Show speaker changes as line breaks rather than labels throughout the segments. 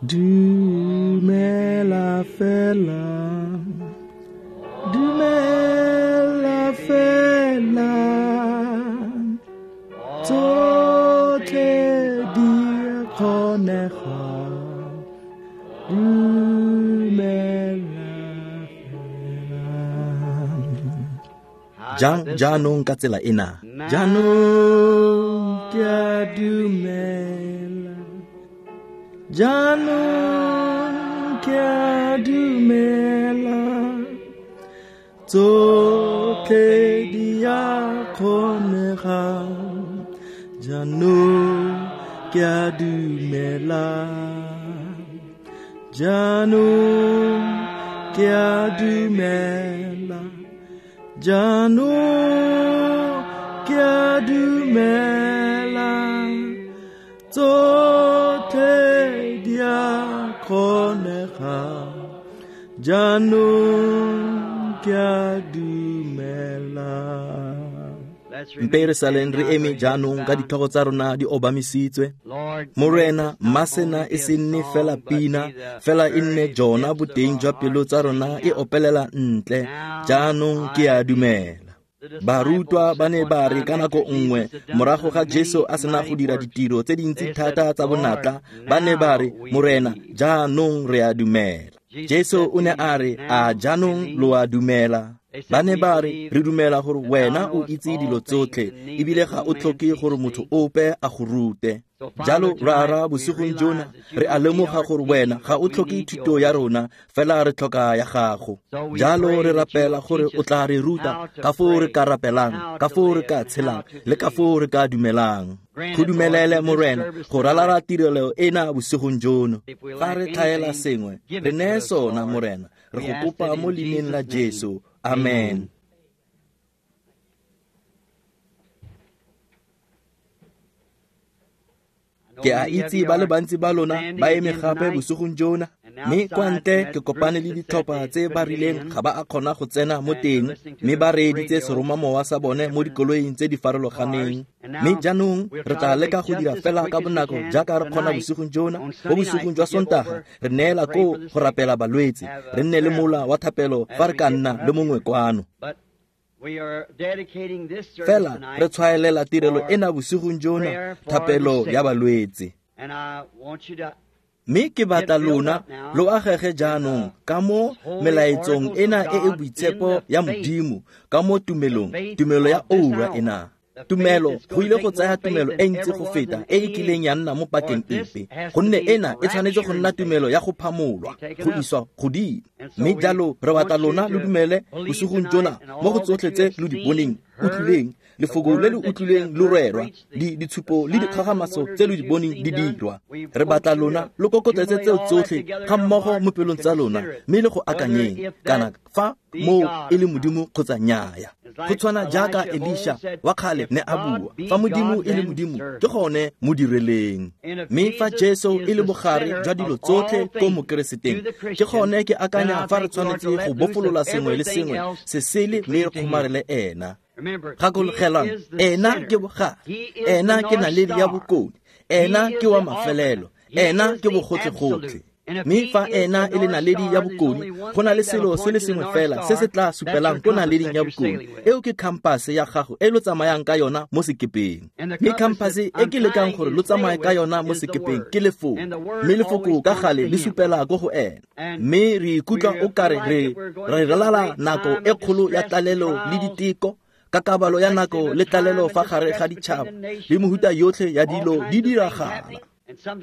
Dumela fela, dumela fela, tsotlhe di a kgonega, dumela fela.
Jang jaanong ka tsela ena?
Jaanong ke a dumela, jaanong ke a dumela, tsotlhe di a kgonega, jaanong ke a dumela, jaanong ke a dumela, jaanong ke a dumela, tsotlhe di a kgonega, jaanong ke a dumela.
Mpe re saleng re eme jaanong ka ditlhogo tsa rona di obamisitswe. Morena, mma sena e se nne fela pina, fela e nne jona boteng jwa pelo tsa rona e opelela ntle. Jaanong ke a dumela. Barutwa ba ne ba re ka nako nngwe morago ga Jesu a sena go dira ditiro tse dintsi thata tsa bonatla, ba ne ba re, Morena, jaanong re a dumela. Jesu o ne a re, a jaanong lo a dumela? Ba ne ba re, re dumela gore wena o itse dilo tsotlhe, ebile ga o tlhoke gore motho ope a go rute. Jalo Rara, bosigong jona re a lemoga gore wena ga o tlhoke thuto ya rona, fela re tlhoka ya gago. Jalo re rapela gore o tla re ruta ka foo re ka rapelang, ka foo re ka tshelang, le ka foo re ka dumelang. Go dumelele, Morena, go ralala tirelo ena bosigong jono. Fa re tlhaela sengwe, re neye sona, Morena. Re go kopa mo leineng la Jesu. Amen. Ke a itse ba le bantsi ba lona ba eme gape bosigong jona, mme kwa ntle ke kopane le ditlhopha tse ba rileng ga ba a kgona go tsena mo teng, mme ba reeditse seromamowa sa bone mo dikoloing tse di farologaneng. Mme jaanong re tla leka go dira fela ka bonako jaaka re kgona bosigong jona. Mo bosigong jwa Sontaga re neela koo go rapela balwetse, re nne le mola wa thapelo fa re ka nna le mongwe kwano. Fela re tshwaelela tirelo ena bosigong jona, thapelo ya balwetse. Mme ke batla lona lo agege jaanong ka mo melaetsong ena e e boitshepo ya Modimo, ka mo tumelong, tumelo ya oura ena. Tumelo go ile go tsaya tumelo e ntsi go feta e e kileng ya nna mo pakeng epe, gonne ena e tshwanetse go nna tumelo ya go phamolwa, go iswa godimo. Mme jalo re batla lona lo dumele bosigong jona mo go tsotlhe tse lo di boneng, utlwileng, lefoko le le utlwileng lo rerwa, ditshupo le dikgagamatso tse lo di boneng di dirwa. Re batla lona lo kokotletse tseo tsotlhe ga mmogo mo pelong tsa lona, mme le go akanyeng kana fa moo e le Modimo kgotsa nnyaya. Go tshwana jaaka Elisha wa kgale ne a bua, fa Modimo e le Modimo, ke gone mo direleng. Mme fa Jesu e le bogare jwa dilo tsotlhe ko Mokereseteng, ke gone ke akanya fa re tshwanetse go bofolola sengwe le sengwe se sele mme re kgomarele ena. Gakologelang, ena ke bogare, ena ke naledi ya bokone, ena ke wa mafelelo, ena ke bogotlhe-gotlhe. Mme fa ena e le naledi ya bokone, go na le selo se le sengwe fela se se tla supelang ko naleding ya bokone. Eo ke khampase ya gago e lo tsamayang ka yona mo sekepeng. Mme khampase e ke lekang gore lo tsamaye ka yona mo sekepeng ke lefoko. Mme lefoko ka gale le supela ko go ena. Mme re ikutlwa o kare re ralala nako e kgolo ya tlalelo le diteko, ka kabalo ya nako le tlalelo fa gare ga ditšhaba, le mehuta yotlhe ya dilo di diragala.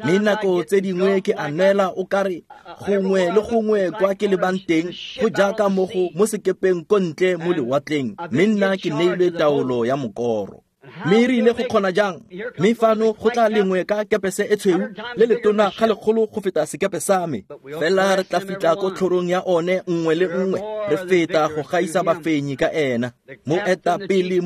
Mme nako tse dingwe ke a neela o kare gongwe le gongwe kwa ke lebang teng go jaaka mo go mo sekepeng ko ntle mo lewatleng, mme nna ke neilwe taolo ya mokoro. Mme re ile go kgona jang? Mme fano go tla lengwe ka kepese e tshweu le letona ga legolo go feta sekepe sa me. Fela re tla fitla ko tlhorong ya one nngwe le nngwe, re feta go gaisa bafenyi ka ena. Moetapele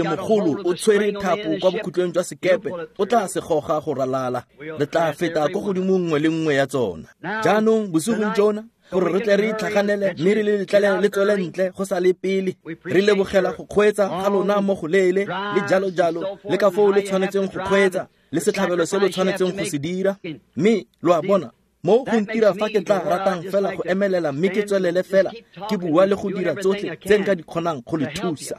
mogolo o tshwere thapo kwa bokhutlong jwa sekepe, o tla se goga go ralala. Re tla feta ko godimo nngwe le nngwe ya tsona. Jaanong bosigong jona, gore re tle re itlhaganele mme re le letlele le tswele ntle go sa le pele. Re lebogela go kgweetsa ga lona mo go leele le jalo jalo, le ka foo le tshwanetseng go kgweetsa, le setlhabelo se lo tshwanetseng go se dira. Mme lo a bona, Mo go ntira fa ke tla ratang fela go emelela mme ke tswelele fela ke bua le go dira tsotlhe tse nka di kgonang go le thusa.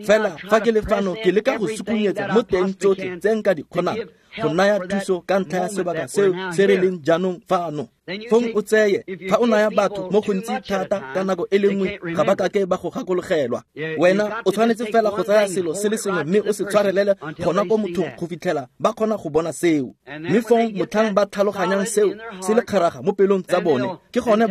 Fela fa ke le fano ke leka go sukunyetsa mo teng tsotlhe tse nka di kgonang go naya thuso ka ntlha ya sebaka seo se re leng jaanong fano. Fong o tseye fa o naya batho mo gontsi thata ka nako e le nngwe ga ba kake ba go gakologelwa. Wena o tshwanetse fela go tsaya selo se le sengwe mme o se tshwarelele gona ko mothong go fitlhela ba kgona go bona seo. Mme fong motlhang ba tlhaloganyang seo se le kgaraga mo pelong tsa bone, ke gone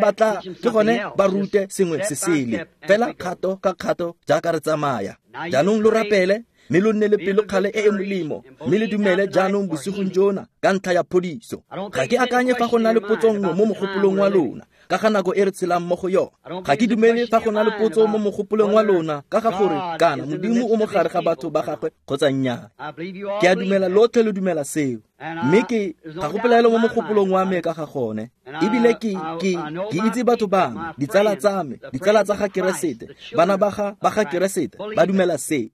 ba rute sengwe se sele. Fela kgato ka kgato jaaka re tsamaya. Jaanong lo rapele mme lo nne le pelokgale e e molemo, mme le dumele jaanong bosigong jona ka ntlha ya phodiso. Ga ke akanye fa go na le potso nngwe mo mogopolong wa lona ka ga nako e re tshelang mo go yona. Ga ke dumele fa go na le potso mo mogopolong wa lona ka ga gore kana Modimo o mo gare ga batho ba gagwe kgotsa nnyaa. Ke a dumela lotlhe lo dumela seo, mme ke ga go pelaelo mo mogopolong wa me ka ga gone. Ebile ke itse batho ba me, ditsala tsa me, ditsala tsa ga Keresete, bana ba ga Keresete ba dumela seo.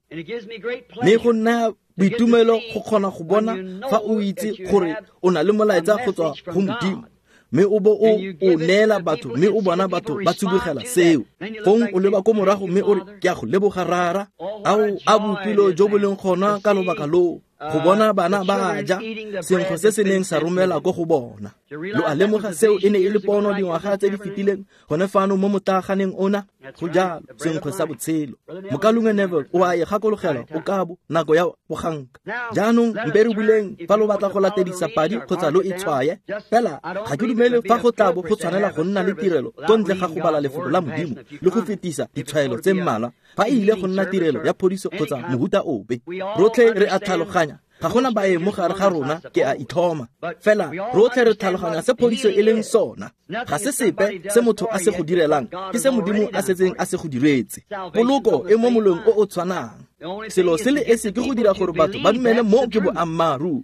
Mme go nna boitumelo go kgona go bona fa o itse gore o na le molaetsa go tswa go Modimo, mme o bo o neela batho, mme o bona batho ba tsibogela seo. Fong o leba ko morago mme o re, ke a go leboga Rara. Ao a boipelo jo bo leng gona ka lobaka loo go bona bana ba ja senkgwe se se neng sa romela ko go bona. Lo a lemoga seo e ne e le pono dingwaga tse di fetileng gone fano mo motaaganeng ona. Go jalo, senkgwe sa botshelo. Mokalungwe Neville o a e gakologelwa o kabo nako ya boganka. Jaanong mpe re buleng fa lo batla go latedisa padi kgotsa lo e tshwaye. Fela ga ke dumele fa go tlabo go tshwanela go nna le tirelo ko ntle ga go bala lefoko la Modimo le go fetisa ditshwaelo tse mmalwa fa e ile go nna tirelo ya phodiso kgotsa mohuta ope. Rotlhe re a tlhaloganya, ga gona baeng mo gare ga rona, ke a ithoma. Fela rotlhe re tlhaloganya se phodiso e leng sona. Ga se sepe se motho a se go direlang, ke se Modimo a setseng a se go diretse. Poloko e mo molong o o tshwanang. Selo se le esi ke go dira gore batho ba dumele mo ke boammaaruri.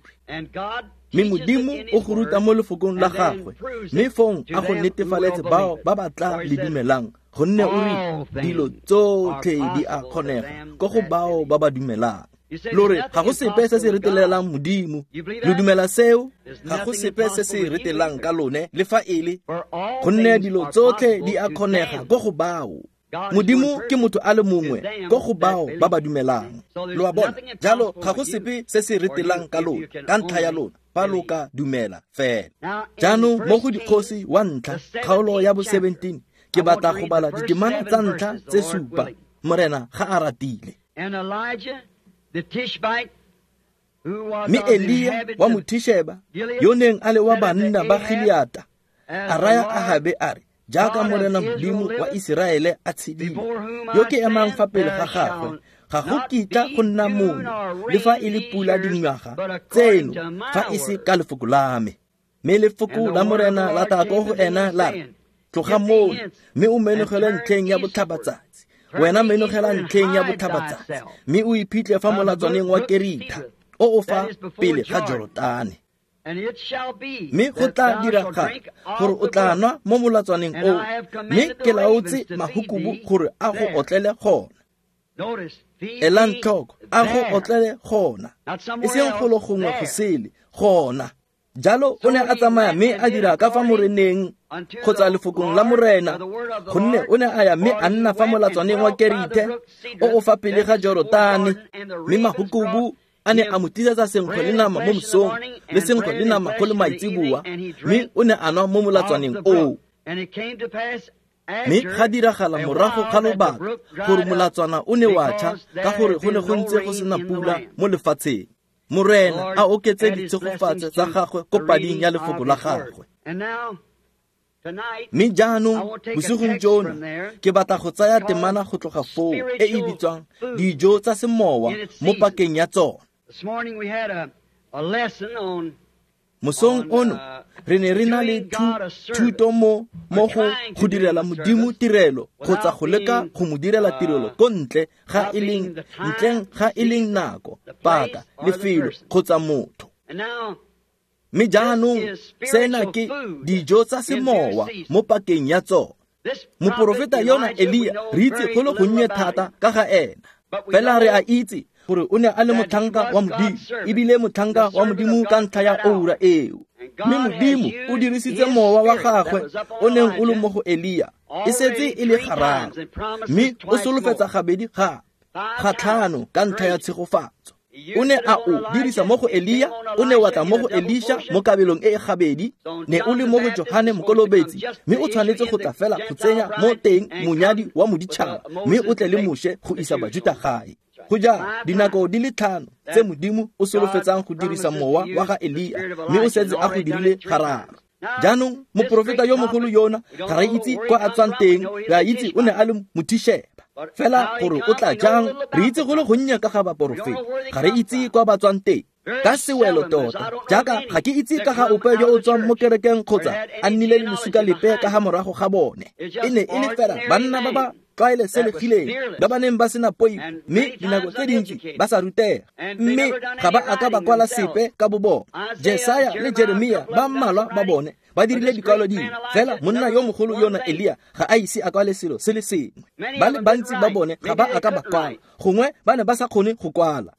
Mme Modimo o go ruta mo lefokong la gagwe, mme fong a go netefaletse bao ba ba tla le dumelang, gonne o re dilo tsotlhe di a kgonega ko go bao ba ba dumelang. Lo re ga go sepe se se retelelang Modimo. Lo dumela seo? Ga go sepe se se retelang ka lone le fa e le, gonne dilo tsotlhe di a kgonega ko go bao. Modimo ke motho a le mongwe ko go bao ba ba dumelang. Lo a bona? Jalo ga go sepe se se retelang ka lona ka ntlha ya lona fa lo ka dumela fela. Jaanong mo go Dikgosi wa ntlha kgaolo ya bo 17 ke batla go bala ditemana tsa ntlha tse 7, Morena ga a ratile. Mme Elia wa Mothisheba yo neng a le wa banna ba Gileata a raya Ahabe a re, jaaka Morena Modimo wa Iseraele a tshedile, yo ke emang fa pele ga gagwe, ga go kitla go nna monyo le fa e le pula dingwaga tseno fa e se ka lefoko la me. Mme lefoko la Morena la tla ko go ena la re, tloga mono mme o menogele ntlheng ya botlhabatsatsi. Wena menogela ntlheng ya botlhabatsatsi mme o iphitlhe fa molatswaneng wa Keritha o o fa pele ga Jorodane. Mme go tla diragala gore o tla nwa mo molatswaneng oo, mme ke laotse mahukubu gore a go otlele gona. Elang tlhoko, a go otlele gona, e seng golo gongwe go sele, gona. Jalo o ne a tsamaya mme a dira ka fa moreneng kgotsa lefokong la Morena, gonne o ne a ya mme a nna fa molatswaneng wa Kerithe o o fa pele ga Jorodane. Mme mahukubu a ne a mo tlisetsa senkgwe le nama mo mosong le senkgwe le nama go le maitseboa, mme o ne a nwa mo molatswaneng oo. Mme ga diragala morago ga lobaka gore molatswana o ne wa tšha ka gore go ne go ntse go sena pula mo lefatsheng. Morena a oketse ditshegofatso tsa gagwe ko pading ya lefoko la gagwe. Mme jaanong bosigong jono ke batla go tsaya temana go tloga foo e e bitswang dijo tsa semowa mo pakeng ya tsona. Mosong ono re ne re na le thuto mo go direla Modimo tirelo kgotsa go leka go mo direla tirelo ko ntle ga e leng ntleng ga e leng nako, paka, lefelo kgotsa motho. Mme jaanong sena ke dijo tsa semowa mo pakeng ya tsona. Moporofeta yona Elia re itse go le gonnye thata ka ga ena, fela re a itse gore o ne a le motlhanka wa Modimo, ebile motlhanka wa Modimo ka ntlha ya oura eo. Mme Modimo o dirisitse mowa wa gagwe o neng o le mo go Elia e setse e le gararo, mme o solofetsa gabedi gape ga tlhano ka ntlha ya tshegofatso. O ne a o dirisa mo go Elia, o ne wa tla mo go Elisha mo kabelong e e gabedi, ne o le mo go Johane Mokolobetsi, mme o tshwanetse go tla fela go tsenya mo teng monyadi wa moditšhaba, mme o tle le Moshe go isa Bajuta gae. Go ja dinako di le 5 tse Modimo o solofetsang go dirisa mowa wa ga Elia, mme o setse a go dirile gararo. Jaanong moporofeta yo mogolo yona ga re itse kwa a tswang teng, re a itse o ne a le Mothisheba. Fela gore o tla jang, re itse go le gonnye ka ga baporofeta, ga re itse kwa ba tswang teng. Ka sewelo tota, jaaka ga ke itse ka ga ope yo o tswang mo kerekeng kgotsa a nnile le lesuka lepe ka ga morago ga bone. E ne e le fela banna ba ba tlwaelesegileng, ba ba neng ba sena poifo, mme dinako tse dintsi ba sa rutega, mme ga ba a ka ba kwala sepe ka bo bone. Jesaya le Jeremia ba mmalwa ba bone ba dirile dikwalo dingwe, fela monna yo mogolo yona Elia ga a ise a kwale selo se le sengwe. Ba le bantsi ba bone ga ba a ka ba kwala, gongwe ba ne ba sa kgone go kwala.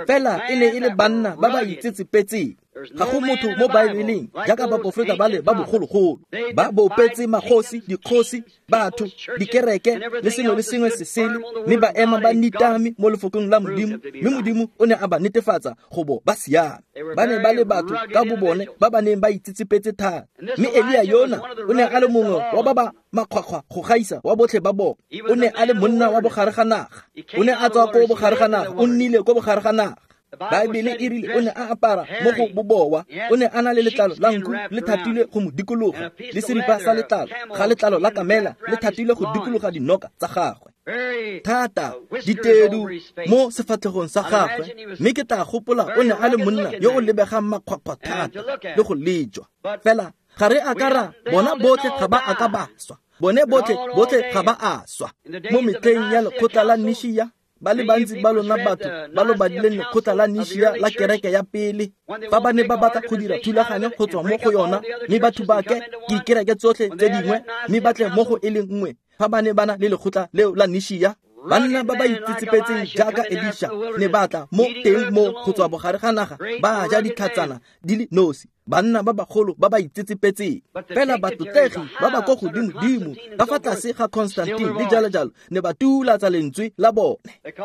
Fela e ne e le banna ba ba itsetsepetseng. Ga go motho mo Baebeleng jaaka baporofeta ba le ba bogologolo, ba bopetse magosi, dikgosi, batho, dikereke le sengwe le sengwe se sele, mme ba ema ba nitame mo lefokong la Modimo, mme Modimo o ne a ba netefatsa go bo ba siame. Ba ne ba le batho ka bo bone ba ba neng ba itsetsepetse thata. Mme Elia yona o ne a le mongwe wa ba ba makgwakgwa go gaisa wa botlhe ba bone. O ne a le monna wa bogare ga naga, o ne a tswa ko bogare ga naga, o nnile ko bogare ga naga. Baebele e rile o ne a apara mo go bobowa, o ne a na le letlalo la nku le thatilwe go mo dikologa, le seripa sa letlalo ga letlalo la kamela le thatilwe go dikologa dinoka tsa gagwe. Thata ditedu mo sefatlhegong sa gagwe, mme ke tla gopola o ne a le monna yo o lebegang makgwakgwa thata le go lejwa. Fela ga re a ka ra bona botlhe ga ba a ka ba swa, bone botlhe ga ba a swa. Mo metlheng ya lekgotla la Nishia, ba le bantsi ba lona batho ba lo badileng lekgotla la Nishia la kereke ya pele, fa ba ne ba batla go dira thulaganyo go tswa mo go yona, mme ba thubake dikereke tsotlhe tse dingwe, mme ba tle mo go e le nngwe, fa ba ne ba na le lekgotla leo la Nishia, banna ba ba itsetsepetseng jaaka Elisha ne ba tla mo teng mo go tswa bogare ga naga, ba ja ditlhatsana di le nosi, banna ba bagolo ba ba itsetsepetseng. Fela batlotlegi ba ba ko godimo-dimo ka fa tlase ga Constantine le jalo-jalo ne ba tulatsa lentswe la bone,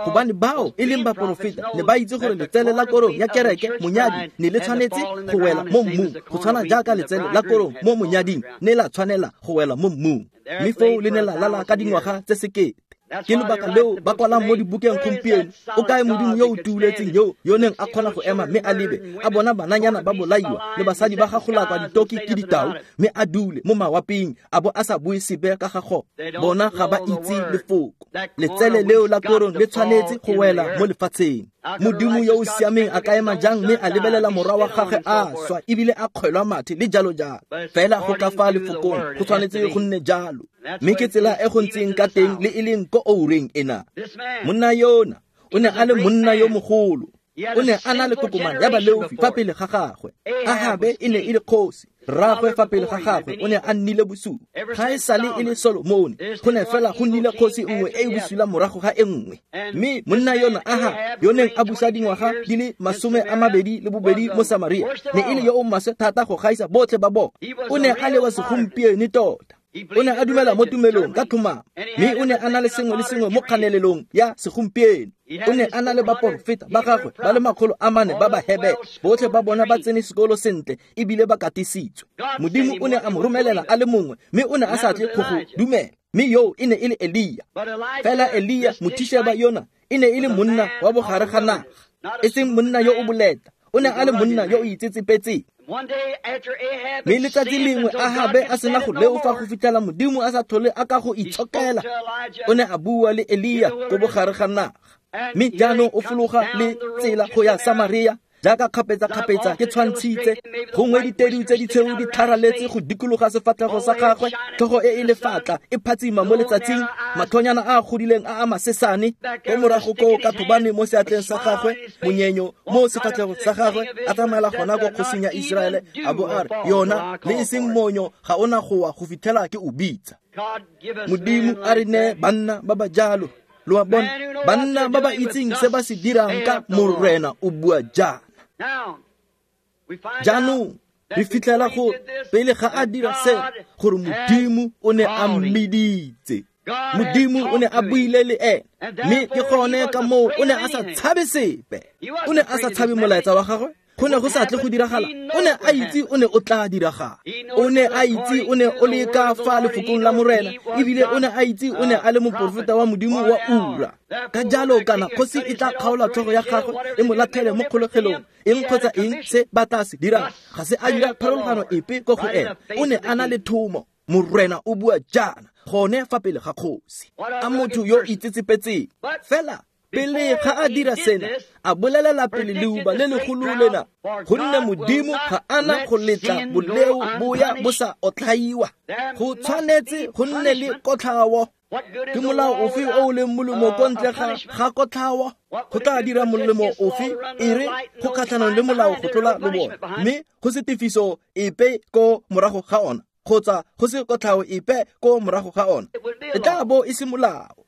gobane bao e leng baporofeta ne ba itse gore letsele la korong ya kereke monyadi ne le tshwanetse go wela mo mmung, go tshwana jaaka letsele la korong mo monyading ne la tshwanela go wela mo mmung, mme foo le ne la lala ka dingwaga tse 1000. Ke lebaka leo ba kwalang mo dibukeng gompieno, o kae Modimo yo o tuuletseng yo neng a kgona go ema mme a lebe, a bona bananyana ba bolaiwa le basadi ba gagolakwa ditoki ke ditau, mme a dule mo mawaping a bo a sa bue sepe ka ga gone. Bona ga ba itse lefoko. Letsele leo la korong le tshwanetse go wela mo lefatsheng. Modimo yo o siameng a ka ema jang mme a lebelela morwa wa gagwe a swa ebile a kgwelwa mathe le jalo jalo. Fela go ka fa lefokong go tshwanetse go nne jalo, mme ke tsela e go ntseng ka teng le e leng ko oureng ena. Monna yona o ne a le monna yo mogolo, o ne a na le kokomane ya baleofi fa pele ga gagwe. Ahabe e ne e le kgosi, rraagwe fa pele ga gagwe o ne a nnile bosula. Ga e sale e le Solomone, go ne fela go nnile kgosi nngwe e e bosula morago ga e nngwe. Mme monna yona Ahab, yo neng a busa dingwaga di le 22 mo Samaria, ne e le yo o maswe thata go gaisa botlhe ba bone. O ne a le wa segompieno tota. O ne a dumela mo tumelong ka tlhomamo, mme o ne a na le sengwe le sengwe mo kganelelong ya segompieno. O ne a na le baporofeta ba gagwe ba le 400 ba Bahebere, botlhe ba bona ba tsene sekolo sentle ebile ba katisitswe. Modimo o ne a mo romelela a le mongwe, mme o ne a sa tle go go dumela, mme yoo e ne e le Elia. Fela Elia Mothisheba yona e ne e le monna wa bogare ga naga, e seng monna yo o boleta, o ne a le monna yo o itsetsepetseng. Mme letsatsi lengwe Ahabe a sena go leofa go fitlhela Modimo a sa tlhole a ka go itshokela, o ne a bua le Elia ko bogare ga naga. Mme jaanong o fologa le tsela go ya Samaria, jaaka kgapetsa-kgapetsa ke tshwantshitse, gongwe ditedu tse ditshweu di tlharaletse go dikologa sefatlhego sa gagwe, tlhogo e e lefatla e phatsima mo letsatsing, matlhonyana a a godileng a a masesane ko morago koo ka thobane mo seatleng sa gagwe, monyenyo mo sefatlhego sa gagwe, a tsamaela gona ko kgosing ya Iseraele, a bo a re, yona le e seng monyo ga ona go wa go fitlhela ke o bitsa. Modimo a re nee banna ba ba jalo. Lo a bona, banna ba ba itseng se ba se dirang ka Morena o bua jaana. Jaanong Re fitlhela go pele ga a dira se gore Modimo o ne a mmiditse. Modimo o ne a buile le ene, mme ke gone ka moo o ne a sa tshabe sepe. O ne a sa tshabe molaetsa wa gagwe. Go ne go sa tle go diragala. O ne a itse o ne o tla diragala. O ne a itse o ne o le ka fa lefokong la Morena, ebile o ne a itse o ne a le moporofeta wa Modimo wa ura. Ka jalo kana kgosi e tla kgaola tlhogo ya gagwe e mo latlhele mo kgolegelong, eng kgotsa eng se ba tla se dirang, ga se a dira pharologano epe ko go ene. O ne a na le thomo. Morena o bua jaana gone fa pele ga kgosi. A motho yo itsetsepetseng fela pele ga a dira sena, a bolelela pele leuba le legolo lena, gonne Modimo ga ana go letla boleo bo ya bo sa otlhaiwa. Go tshwanetse go nne le kotlhao. Ke molao ofe o o leng molemo ko ntle ga kotlhao? Go tla dira molemo ofe e re go kgatlhanong le molao go tlola lobone, mme go se tefiso epe ko morago ga ona, kgotsa go se kotlhao epe ko morago ga ona? E tla bo e se molao.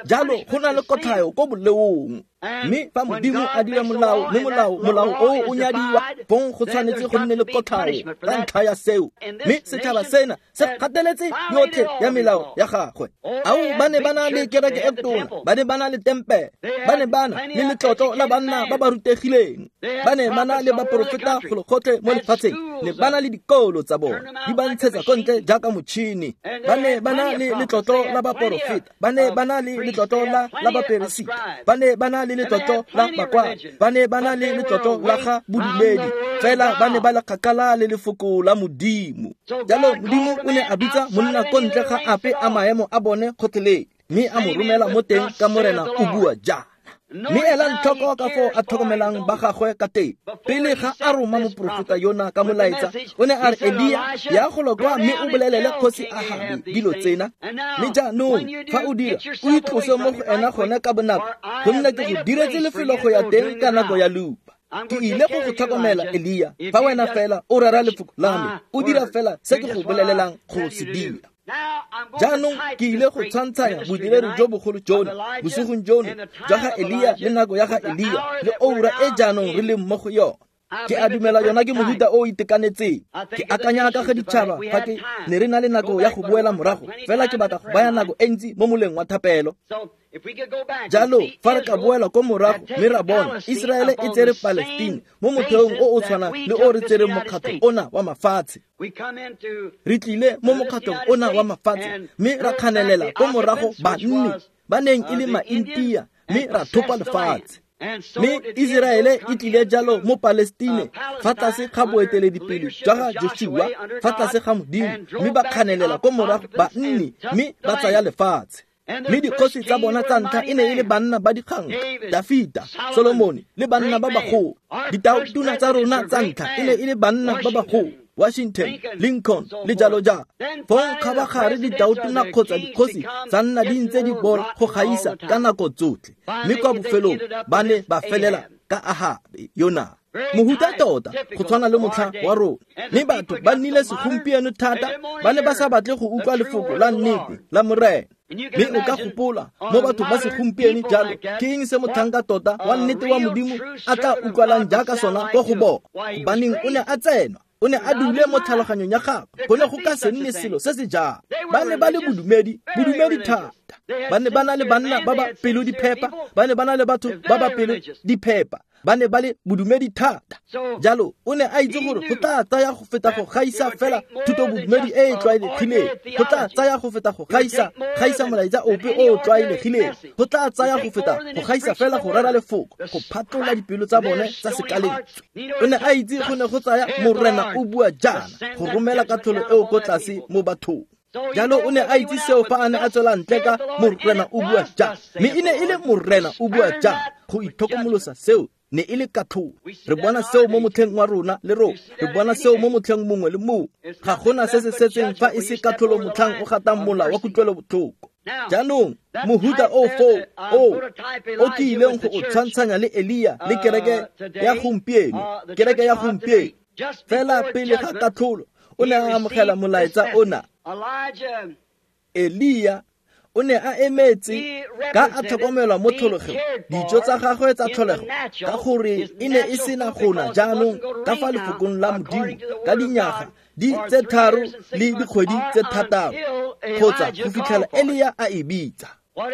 Jalo go na le kotlhao ko boleong. Mme fa Modimo a dira molao, mme molao o o nyadiwa, fong go tshwanetse go nne le kotlhao ka ntlha ya seo. Mme setšhaba sena se gateletse yotlhe ya melao ya gagwe. Ao, ba ne ba na le kereke e tona, ba ne ba na le tempele, ba ne ba na le letlotlo la banna ba ba rutegileng, ba ne ba na le baporofeta golo gotlhe mo lefatsheng, ne ba na le dikolo tsa bona di ba ntshetsa ko ntle jaaka motšhini. Ba ne ba na le letlotlo la baporofeta, ba ne ba na le letlotlo la baperesita, ba ne ba na le letlotlo la bakwadi, ba ne ba na le letlotlo la ga bodumedi, fela ba ne ba le kgakala le lefoko la Modimo. Jalo Modimo o ne a bitsa monna ko ntle ga ape a maemo a bone gotlhelele, mme a mo romela mo teng ka Morena o bua jaana. Mme elang tlhoko ka foo a tlhokomelang ba gagwe ka teng. Pele ga a roma moporofeta yona ka molaetsa, o ne a re, Elia, ya golo kwa mme o bolelele kgosi Ahabe dilo tsena. Mme jaanong fa o dira, o itlose mo go ena gone ka bonako, gonne ke go diretse lefelo go ya teng ka nako ya leuba. Ke ile go go tlhokomela, Elia, fa wena fela o rera lefoko la me, o dira fela se ke go bolelelang go se dira. Jaanong ke ile go tshwantshanya bodiredi jo bogolo jono bosigong jono jwa ga Elia le nako ya ga Elia le oura e jaanong re leng mo go yona. Ke a dumela yona ke mohuta o itekanetseng. Ke akanya ka ga ditšhaba fa ke ne re na le nako ya go boela morago, fela ke batla go baya nako e ntsi mo moleng wa thapelo. Jalo fa re ka boela ko morago mme ra bona Iseraele e tsere Palestine mo motheong o o tshwanang le o re tsereng mokgatlho ona wa mafatshe. Re tlile mo mokgatlhong ona wa mafatshe mme ra kganelela ko morago banni ba neng e le Maintia, mme ra thopa lefatshe. Mme Iseraele e tlile jalo mo Palestine fa tlase ga boeteledipele jwa ga Joshua, fa tlase ga Modimo, mme ba kganelela ko morago banni mme ba tsaya lefatshe. Mme dikgosi tsa bona tsa ntlha e ne e le banna ba dikganka, Dafita, Solomone le banna ba bagolo. Ditaotona tsa rona tsa ntlha e ne e le banna ba bagolo, Washington, Lincoln le jalo jalo. Fong kgabagare ditaotona kgotsa dikgosi tsa nna di ntse di bola go gaisa ka nako tsotlhe, mme kwa bofelong ba ne ba felela ka Ahabe yona. Mohuta tota go tshwana le motlha wa rona. Mme batho ba nnile segompieno thata, ba ne ba sa batle go utlwa lefoko la nnete la Morena. Mme o ka gopola mo batho ba segompieno jalo, ke eng se motlhanka tota wa nnete wa Modimo a tla utlwalang jaaka sona ko go bona? Gobaneng o ne a tsenwa, o ne a dule mo tlhaloganyong ya gagwe, go ne go ka se nne selo se se jalo. Ba ne ba le bodumedi thata. Ba ne ba na le banna ba ba pelo di phepa, ba ne ba na le batho ba ba pelo di phepa, ba ne ba le bodumedi thata. Jalo o ne a itse gore go tla tsaya go feta go gaisa fela thuto bodumedi e e tlwaelegileng, go tla tsaya go feta go gaisa molaetsa ope o o tlwaelegileng, go tla tsaya go feta go gaisa fela go rera lefoko, go phatlola dipelo tsa bone tsa sekalentswe. O ne a itse go ne go tsaya Morena o bua jaana go romela katlholo eo ko tlase mo bathong. Jalo o ne a itse seo fa a ne a tswela ntle ka Morena o bua jaana, mme e ne e le Morena o bua jaana. Go itlhokomolosa seo ne e le katlholo. Re bona seo mo motlheng wa rona le rona, re bona seo mo motlheng mongwe le mongwe. Ga gona se se setseng fa e se katlholo motlhang o gatang mola wa kutlwelobotlhoko. Jaanong mohuta o foo o ke ileng go o tshwantshanya le Elia le kereke ya gompieno, kereke ya gompieno. Fela pele ga katlholo o ne a amogela molaetsa ona. Elia O ne a emetse ka a tlhokomelwa mo tlholegong, dijo tsa gagwe tsa tlholego, ka gore e ne e sena gona jaanong ka fa lefokong la Modimo ka dinyaga di tse 3 le dikgwedi tse 6 kgotsa go fitlhela Elia a e bitsa.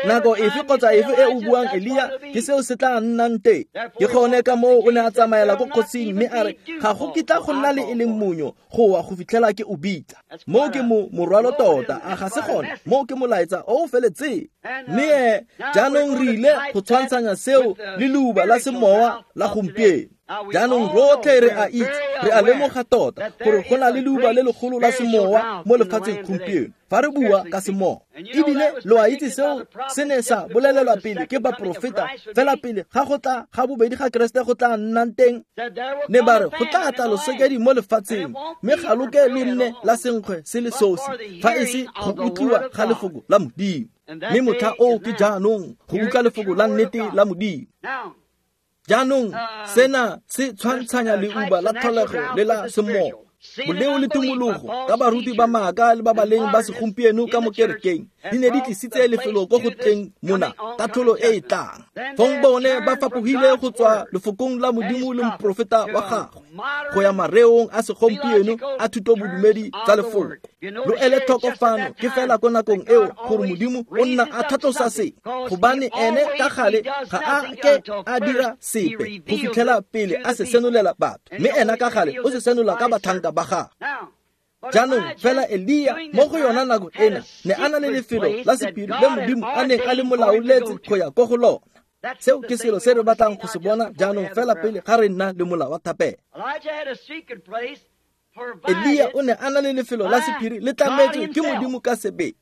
Nako efe kgotsa efe e o buang Elia, ke seo se tla nnang teng. Ke gone ka moo o ne a tsamaela ko kgosing mme a re, ga go kitla go nna le e leng monyo go wa go fitlhela ke o bitsa. Moo ke morwalo tota, a ga se gone? Moo ke molaetsa o o feletseng. Mme jaanong re ile go tshwantshanya seo le leuba la semowa la gompieno. Jaanong rotlhe re a itse, re a lemoga tota gore go na le leuba le legolo la semowa mo lefatsheng gompieno fa re bua ka semowa. Ebile lo a itse seo se ne sa bolelelwa pele ke baprofeta fela pele ga go tla ga bobedi ga Keresete go tla nnang teng. Ne ba re go tla tla losokedi mo lefatsheng, mme ga lo ke lo nne la senkgwe se le sosi fa e se go utlwiwa ga lefoko la Modimo. Mme motlha oo ke jaanong go utlwa lefoko la nnete la Modimo. Jaanong sena se tshwantshanya leuba la tlholego le la semowa, boleo le tumologo ka baruti ba maaka le ba baleng ba segompieno ka mo kerekeng di ne di tlisitse lefelo ko go tleng mona katlholo e e tlang. Fong bone ba fapogile go tswa lefokong la Modimo le moprofeta wa gagwe go ya mareong a segompieno a thutobodumedi tsa lefoko. Lo ele tlhoko fano ke fela ko nakong eo gore Modimo o nna a tlhatlosa se, gobane ene ka gale ga a ke a dira sepe go fitlhela pele a se senolela batho, mme ena ka gale o se senola ka batlhanka ba gagwe. Jaanong fela Elia mo go yona nako ena ne a na le lefelo la sephiri le Modimo a neng a le molaoletse go ya ko go lona. Seo ke selo se re batlang go se bona jaanong fela pele ga re nna le mola wa thapelo. Elia o ne a na le lefelo la sephiri le tlametswe ke Modimo ka sebele.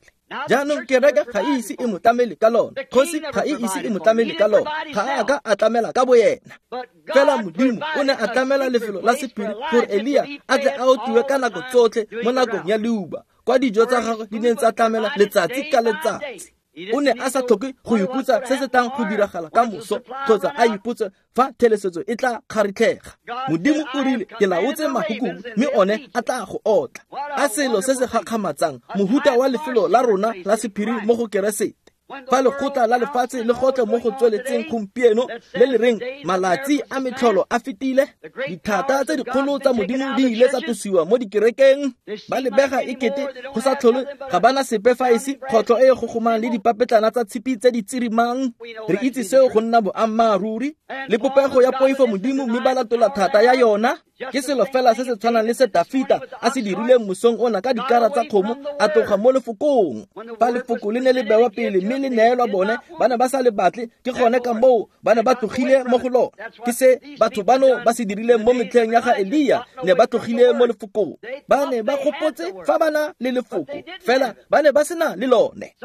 Jaanong kereke ga e ise e mo tlamele ka lona, kgosi ga e ise e mo tlamele ka lona, ga a ka a tlamela ka boyena. Fela Modimo o ne a tlamela lefelo la sephiri gore Elia a tle a otliwe ka nako tsotlhe mo nakong ya leuba, kwa dijo tsa gagwe di neng tsa tlamela letsatsi ka letsatsi. O ne a sa tlhoke go ipotsa se se tlang go diragala ka moso kgotsa a ipotse fa thelesetso e tla kgaritlhega. Modimo o rile, ke laotse mahukubu mme one a tla go otla. A selo se se gakgamatsang, mohuta wa lefelo la rona la sephiri mo go Keresete. Fa lekgotla la lefatshe le gotlhe mo go tsweletseng gompieno le le reng malatsi a metlholo a fetile, dithata tse dikgolo tsa Modimo di ile tsa tlosiwa mo dikerekeng, ba lebega e kete go sa tlhole ga bana sepe fa e se kgotlho e e gogomang le dipapetlana tsa tshipi tse di tsirimang. Re itse seo go nna boammaaruri le popego ya poifo Modimo, mme ba latola thata ya yona. Ke selo fela se se tshwanang le se Dafita a se dirileng mosong ona ka dikara tsa kgomo, a tloga mo lefokong. Fa lefoko le ne le bewa pele mme le neelwa bone, ba ne ba sa le batle, ke gone ka moo ba ne ba tlogile mo go lona. Ke se batho bano ba se dirileng mo metlheng ya ga Elia, ne ba tlogile mo lefokong. Ba ne ba gopotse fa ba na le lefoko, fela ba ne ba sena le lone.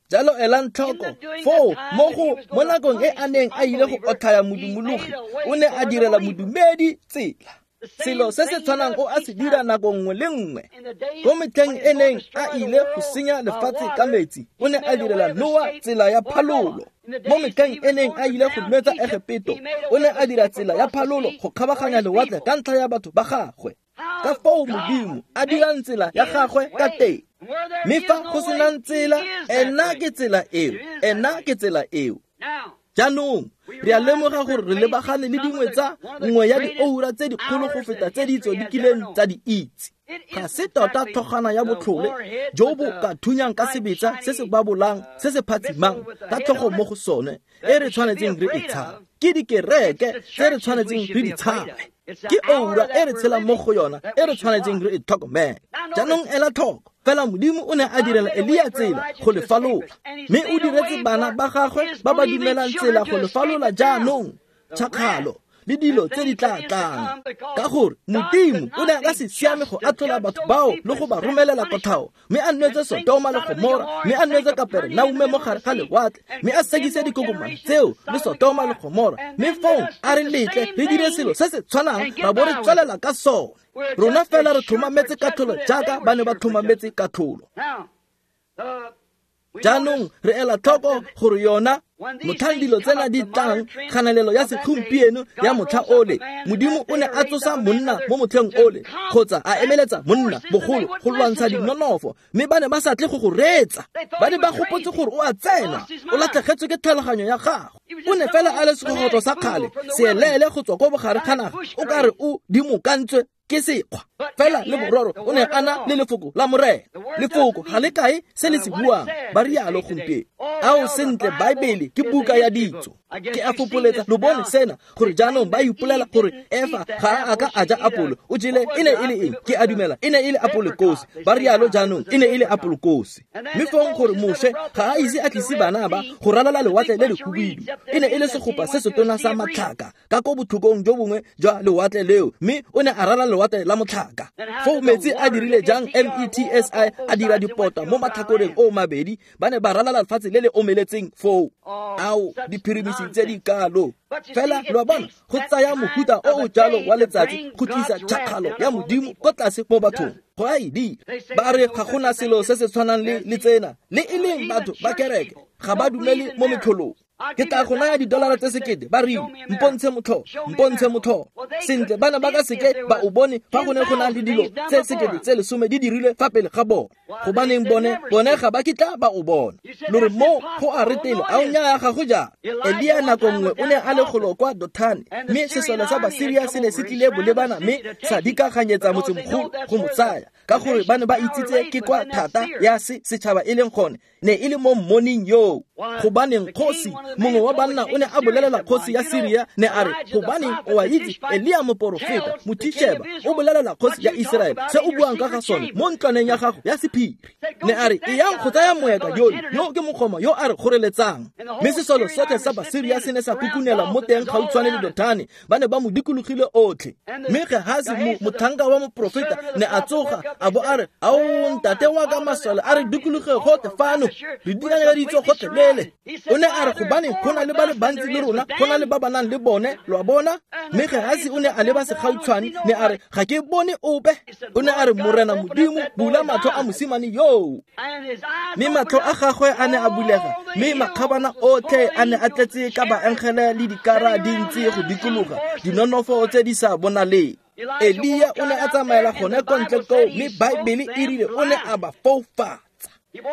Jalo elang tlhoko foo mo nakong e a neng a ile go otlhaya modumologi, o ne a direla modumedi tsela. Selo se se tshwanang o a se dira nako nngwe le nngwe. Ko metlheng e neng a ile go senya lefatshe ka metsi, o ne a direla Noa tsela ya phalolo. Mo metlheng e neng a ile go nwetsa Egepeto, o ne a dira tsela ya phalolo go kgabaganya lewatle ka ntlha ya batho ba gagwe. Ka foo Modimo a dirang tsela ya gagwe ka teng. Mme fa go senang tsela, ena ke tsela eo, ena ke tsela eo. Jaanong re a lemoga gore re lebagane le dingwe tsa nngwe ya dioura tse dikgolo go feta tse ditso di kileng tsa di itse. Ga se tota tlhogwana ya botlhole jo bo ka thunyang ka sebetsa se se babolang se se phatsimang ka tlhogo mo go sone e re tshwanetseng re e tshabe. Ke dikereke tse re tshwanetseng re di tshabe. Ke oura e re tshelang mo go yona e re tshwanetseng re e tlhokomele. Jaanong ela tlhoko, fela Modimo o ne a direla Elia tsela go le falola, mme o diretse bana ba gagwe ba ba dumelang tsela go le falola jaanong, tšhakgalo le dilo tse di tla tlang. Ka gore Modimo o ne a ka se siame go atlhola batho bao le go ba romelela kotlhao, mme a nwetse Sodoma le Gomora, mme a nwetse Kaperenaume mo gare ga lewatle, mme a sekise dikokomane tseo le Sodoma le Gomora, mme fong a re letle re dire selo se se tshwanang ra bo re tswelela ka sone. Rona fela re tlhomametse katlholo jaaka ba ne ba tlhomametse katlholo. Jaanong re ela tlhoko gore yona motlhang dilo tsena di tlang kganelelo ya segompieno ya motlha ole, Modimo o ne a tsosa monna mo motlheng ole kgotsa a emeletsa monna bogolo go lwantsha dinonofo, mme ba ne ba sa tle go go reetsa. Ba ne ba gopotse gore o a tsena, o latlhegetswe ke tlhaloganyo ya gagwe. O ne fela a le segogotlo sa kgale, seeleele go tswa ko bogare ga naga, o ka re o dimokantswe ke sekgwa. Fela le bororo o ne a na le lefoko la Morena. Lefoko ga le kae se le se buang, ba rialo gompieno. Ao sentle, Baebele ke buka ya ditso. Ke a fopoletsa lo bone sena gore jaanong ba ipolela gore Efa ga a ka a ja apolo, o jele e ne e le eng? Ke a dumela e ne e le apolokosi. Ba rialo jaanong e ne e le apolokosi. Mme fong gore Moshe ga a ise a tlise bana ba go ralala lewatle le lehubidu, e ne e le segopa se setona sa matlhaka ka ko botlhokong jo bongwe jwa lewatle leo, mme o ne a ralala lewatle la motlhaka. Foo metsi a dirile jang METSI a dira dipota mo matlhakoreng o mabedi, ba ne ba ralala lefatshe le le omeletseng foo. Ao diphirimisi tse di kalo. Fela lo a bona, go tsaya mohuta o o jalo wa letsatsi go tlisa tšhakgalo ya Modimo ko tlase mo bathong. Go a e dira. Ba re ga gona selo se se tshwanang le tsena, le e leng batho ba kereke ga ba dumele mo metlholong. Ke tla go naya $1,000 tse 1000, ba rile, mpontshe motlholo, mpontshe motlholo. Sentle, bana ba ka seke ba o bone fa go ne go na le dilo tse 10 tse 10 di dirilwe fa pele ga bone. Gobaneng bone ga ba kitla ba o bona. Lo re mo go a retele, a o nnyaya ga go jang. Elia nako nngwe o ne a le golo kwa Dothane, mme sesole sa Basiria se ne se tlile bolebana mme sa dikaganyetsa motsemogolo go mo tsaya, ka gore ba ne ba itsitse ke kwa thata ya se setšhaba e leng gone, ne e le mo mmoning yoo. Gobaneng kgosi mongwe wa banna o ne a bolelela kgosi ya Siria, ne a re, gobaneng o a itse Elia moporofeta Mothisheba o bolelela kgosi ya Iseraele se o buang ka ga sone mo ntlwaneng ya gago ya sephiri. Ne a re, eyang go tsaya moeka yole, yo ke mokgoma yo a re kgoreletsang. Mme sesole sotlhe sa Basiria se ne sa kukunela mo teng gautshwane le Dothane, ba ne ba mo dikologile otlhe. Mme Gehazi motlhanka wa moporofeta ne a tsoga a bo a re, ao ntate wa ka masole a re dikologe gotlhe fano, re dikanyeditswe gotlhelele. O ne a re, gobaneng go na le ba le bantsi le rona, go na le ba ba nang le bone, lo a bona. Mme Gehazi o ne a leba segautshwane, ne a re, ga ke bone ope. O ne a re, Morena Modimo, bula matlho a mosimane yoo. Mme matlho a gagwe a ne a bulega, mme makgabana otlhe a ne a tletse ka baengele le dikara di ntse go dikologa, dinonofo tse di sa bonaleng. Elia o ne a tsamaela gone ko ntle koo, mme Baebele e rile o ne a ba foufatsa.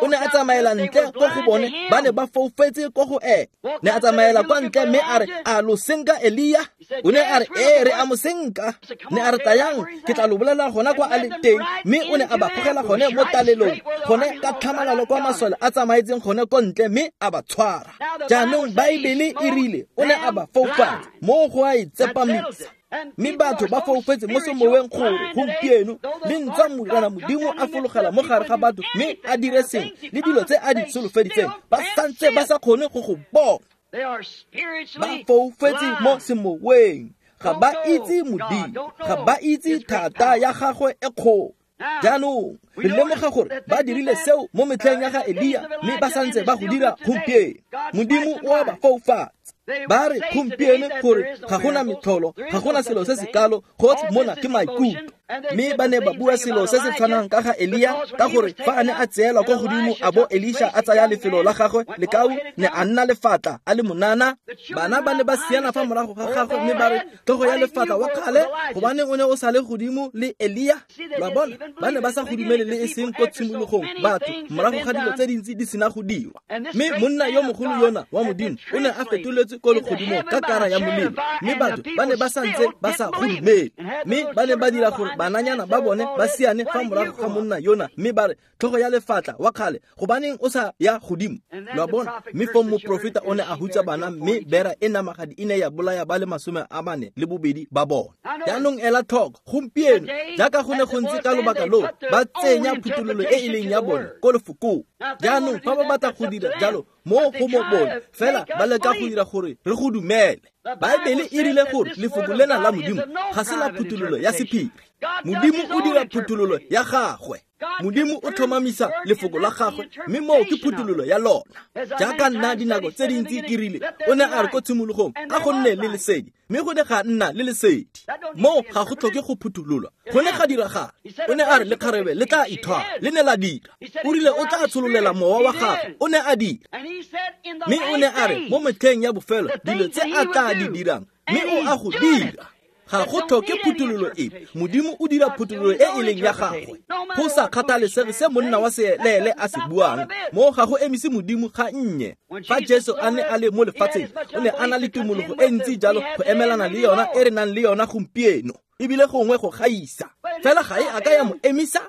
O ne a tsamaela ntle ko go bone, ba ne ba foufetse ko go ene. Ne a tsamaela kwa ntle mme a re, a lo senka Elia? O ne a re, ee, re a mo senka. Ne a re, tlayang, ke tla lo bolela gona kwa a le teng. Mme o ne a ba gogela gone mo talelong, gone ka tlhamalalo kwa masole a tsamaetseng gone ko ntle, mme a ba tshwara. Jaanong Baebele e rile o ne a ba foufatsa, mo go a e tsepamisa. Mme batho ba foufetse mo semoweng gore gompieno le ntswa Morena Modimo a fologela mo gare ga batho mme a dire sengwe le dilo tse a di solofeditseng, ba santse ba sa kgone go go bona. Ba foufetse mo semoweng, ga ba itse Modimo, ga ba itse thata ya gagwe e kgolo. Jaanong re lemoga gore ba dirile seo mo metlheng ya ga Elia, mme ba santse ba go dira gompieno. Modimo o a ba foufatsa. Ba re gompieno gore ga gona metlholo, ga gona selo se se kalo, gotlhe mona ke maikutlo. Mme ba ne ba bua selo se se tshwanang ka ga Elia, ka gore fa a ne a tseelwa kwa godimo a bo Elisha a tsaya lefelo la gagwe, lekau ne a nna lefatla a le monana. Bana ba ne ba siana fa morago ga gagwe mme ba re, tlhogo ya lefatla wa kgale, gobane o ne o sa le godimo le Elia. Lo a bona, ba ne ba sa go dumele le e seng ko tshimologong batho, morago ga dilo tse dintsi di sena go dirwa. Mme monna yo mogolo yona wa Modimo o ne a fetoletswe ko legodimong ka kara ya molelo, mme batho ba ne ba santse ba sa go dumele. Mme ba ne ba dira gore bananyana ba bone ba siane fa morago ga monna yona, mme ba re, tlhogo ya lefatla wa kgale, gobaneng o sa ya godimo. Lo a bona, mme fong moprofeta o ne a hutsa bana, mme bera e namagadi e ne ya bolaya ba le 42 ba bone. Jaanong ela tlhoko gompieno, jaaka go ne go ntse ka lobaka loo, ba tsenya phuthololo e e leng ya bone ko lefokong. Jaanong fa ba batla go dira jalo mo go mo bone, fela ba leka go dira gore re go dumele. Baebele e rile gore lefoko lena la Modimo ga se la phuthololo ya sephiri. Modimo o dira phuthololo ya gagwe. Modimo o tlhomamisa lefoko la gagwe, mme moo ke phuthololo ya lona. Jaaka nna dinako tse dintsi ke rile, o ne a re ko tshimologong a go nne le lesedi, mme go ne ga nna le lesedi. Moo ga go tlhoke go phuthololwa, go ne ga diragala. O ne a re lekgarebe le tla ithwala, le ne la dira. O rile o tla tshololela mowa wa gagwe, o ne a dira. Mme o ne a re mo metlheng ya bofelo dilo tse a tla di dirang, mme o a go dira. Ga go tlhoke phuthololo epe, Modimo o dira phuthololo e e leng ya gagwe. Go sa kgathalesege se monna wa seeleele a se buang, moo ga go emise Modimo ga nnye. Fa Jesu a ne a le mo lefatsheng, o ne a na le tumologo e ntsi jalo go emelana le yona e re nang le yona gompieno, ebile gongwe go gaisa. Fela ga e a ka ya mo emisa.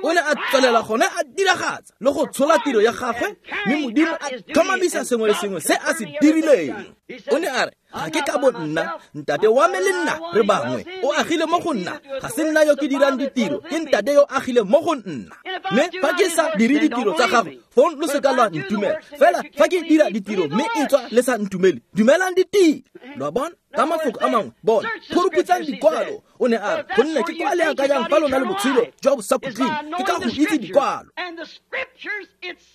O ne a tswelela gone a diragatsa le go tshola tiro ya gagwe, mme Modimo a tlhomamisa sengwe le sengwe se a se dirileng. O ne a re, ga ke ka bo nna, ntate wa me le nna re bangwe, o agile mo go nna, ga se nna yo ke dirang ditiro, ke ntate yo agile mo go nna. Mme fa ke sa dire ditiro tsa gagwe, fong lo se ka lwa ntumela. Fela fa ke dira ditiro mme e tswa le sa ntumele, dumelang ditiro. Lo a bona? Ka mafoko a mangwe, bona, phuruphutsang dikwalo. O ne a re, gonne ke kwa le akanyang fa lona le botshelo jwa bosakhutleng, ke ka go itse dikwalo.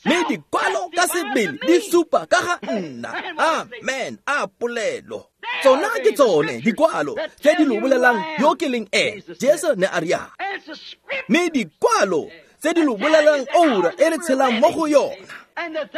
Mme dikwalo ka sebele di supa ka ga nna. Amen. A polelo. Tsona ke tsone dikwalo tse di lo bolelang yo ke leng ene. Jesu ne a rialo. Mme dikwalo tse di lo bolelang oura e re tshelang mo go yona,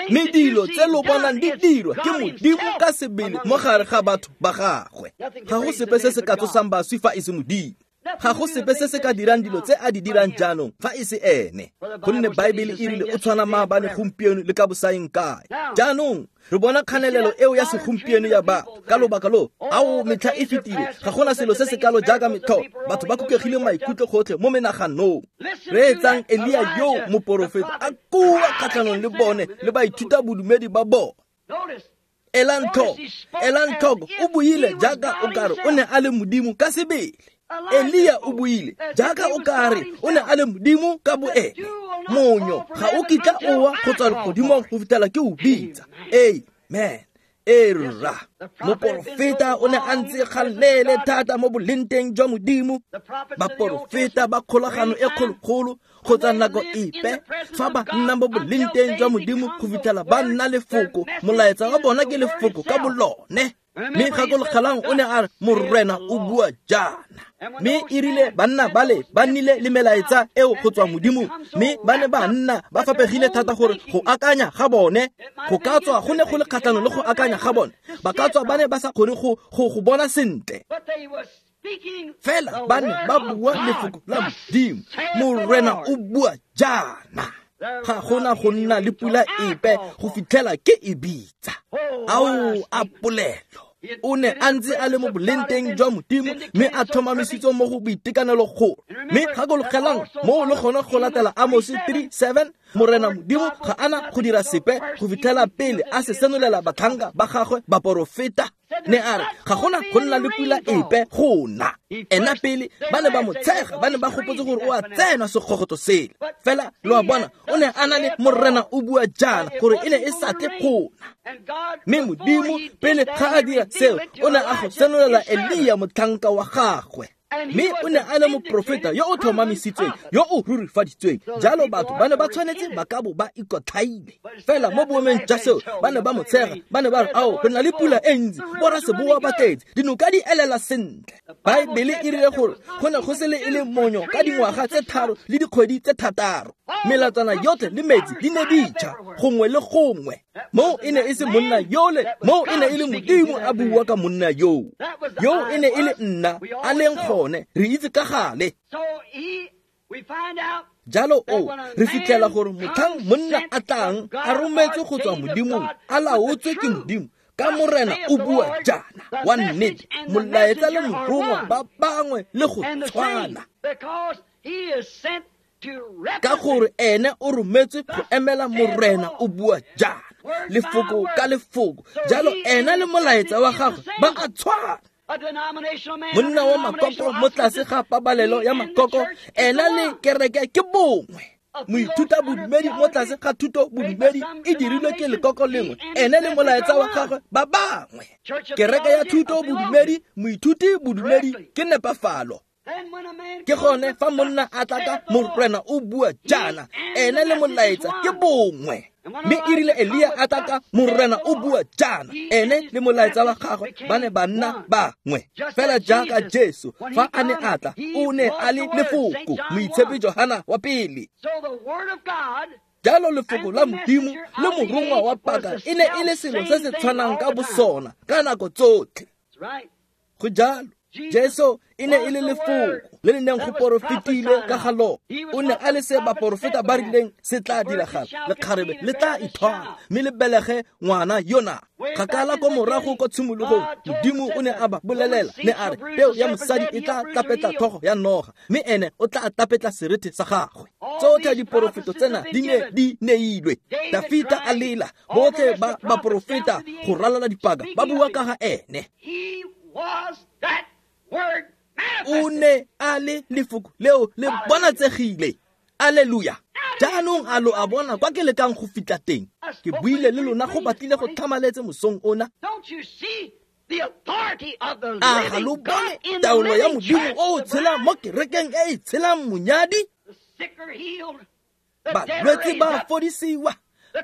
mme dilo tse lo bonang di dirwa ke Modimo ka sebele mo gare ga batho ba gagwe. Ga go sepe se se ka tsosang baswi fa e se Modimo. Ga go sepe se se ka dirang dilo tse a di dirang jaanong fa e se ene, gonne Baebele e rile o tshwana maabane, gompieno le ka bosaeng kae. Jaanong re bona kganelelo eo ya segompieno ya batho ka lobaka lo, ao metlha e fetile, ga gona selo se se kalo jaaka metlho. Batho ba kukegile maikutlo gotlhe mo menaganong. Reetsang Elia yo moporofeta a kua kgatlhanong le bone le baithuta bodumedi ba bone. Elang tlhoko, o buile jaaka o kare o ne a le Modimo ka sebele. Elia o buile jaaka o kare o ne a le Modimo ka boene. Monyo ga o kitla o wa go tswa legodimong go fitlhela ke o bitsa. Amen. Era moporofeta o ne a ntse galele thata mo bolenteng jwa Modimo. Baporofeta ba kgolagano e kgologolo kgotsa nako epe fa ba nna mo bolenteng jwa Modimo go fitlhela ba nna lefoko, molaetsa wa bona ke lefoko ka bolone. Mme gakologelang o ne a re, Morena o bua jaana. Mme e rile banna bale ba nnile le melaetsa eo go tswa Modimong, mme ba ne ba nna ba fapegile thata gore go akanya ga bone go ka tswa go ne go le kgatlhanong le go akanya ga bone, ba ka tswa ba ne ba sa kgone go bona sentle. Fela ba ne ba bua lefoko la Modimo, Morena o bua jaana. Ga gona go nna le pula epe go fitlhela ke e bitsa. Ao a polelo. O ne a ntse a le mo bolenteng jwa Modimo, mme a tlhomamisitswe mo go boitekanelo golo. Mme gakologelang moo le gone go latela Amos 3:7, Morena Modimo ga ana go dira sepe go fitlhela pele a se senolela batlhanka ba gagwe baporofeta. Ne a re ga gona go nna le pula epe gona. Ena pele ba ne ba mo tshega, ba ne ba gopotse gore o a tsena sekgogotso sele. Fela lo a bona, o ne a na le Morena o bua jaana gore e ne e sa tle gona. Mme Modimo pele ga a dira seo, o ne a go senolela Elia motlhanka wa gagwe. Mme o ne a le moprofeta yo o tlhomamisitsweng, yo o rurifaditsweng. Jalo batho ba ne ba tshwanetse ba ka bo ba ikotlhaile. Fela mo boemeng jwa seo, ba ne ba mo tshega, ba ne ba re, ao, re na le pula e ntsi, boraseboa ba tletse, dinoka di elela sentle. Baebele e rile gore go ne go se le e le monyo ka dingwaga tse 3 le dikgwedi tse 6. Melatswana yotlhe le metsi di ne di tšha gongwe le gongwe. Moo e ne e se monna yole, moo e ne e le Modimo a bua ka monna yoo. Yo e ne e le nna a leng gone, re itse ka gale. Jalo o re fitlhela gore motlhang monna a tlang a rometswe go tswa Modimong, a laotswe ke Modimo, ka Morena o bua jaana wa nnete, molaetsa le morongwa ba bangwe le go tshwana. Ka gore ene o rometswe go emela Morena o bua jaana, lefoko ka lefoko. Jalo ena le molaetsa wa gagwe ba a tshwana. Monna wa makoko mo tlase ga pabalelo ya makoko, ena le kereke ke bongwe. Moithuta bodumedi mo tlase ga thuto bodumedi e dirilwe ke lekoko lengwe, ene le molaetsa wa gagwe ba bangwe. Kereke ya thuto bodumedi, moithuti bodumedi ke nepafalo. Ke gone fa monna a tla ka Morena o bua jaana, ene le molaetsa ke bongwe. Mme e rile Elia a tla ka Morena o bua jaana, ene le molaetsa wa gagwe ba ne ba nna bangwe. Fela jaaka Jesu fa a ne a tla, o ne a le lefoko, Moitshepi Johana wa pele. Jalo lefoko la Modimo le morongwa wa paka e ne e le selo se se tshwanang ka bosona ka nako tsotlhe. Go jalo. Jesu e ne e le lefoko le le neng go porofetile ka ga lona. O ne a le se baporofeta ba rileng se tla diragala, lekgarebe le tla ithwala mme le belege ngwana yona. Kgakala ko morago ko tshimologong, Modimo o ne a ba bolelela, ne a re peo ya mosadi e tla tapetla tlhogo ya noga, mme ene o tla tapetla serethe sa gagwe. Tsotlhe diporofeto tsena di ne di neilwe. Dafita a lela, botlhe ba baporofeta go ralala dipaka ba bua ka ga ene. O ne a le lefoko leo le bonatsegile. Alleluia. Jaanong a lo a bona kwa ke lekang go fitlha teng. Ke buile le lona go batlile go tlhamaletse mosong ona. A ga lo bone taolo ya Modimo o o tshelang mo kerekeng e e tshelang monyadi? Balwetse ba fodisiwa,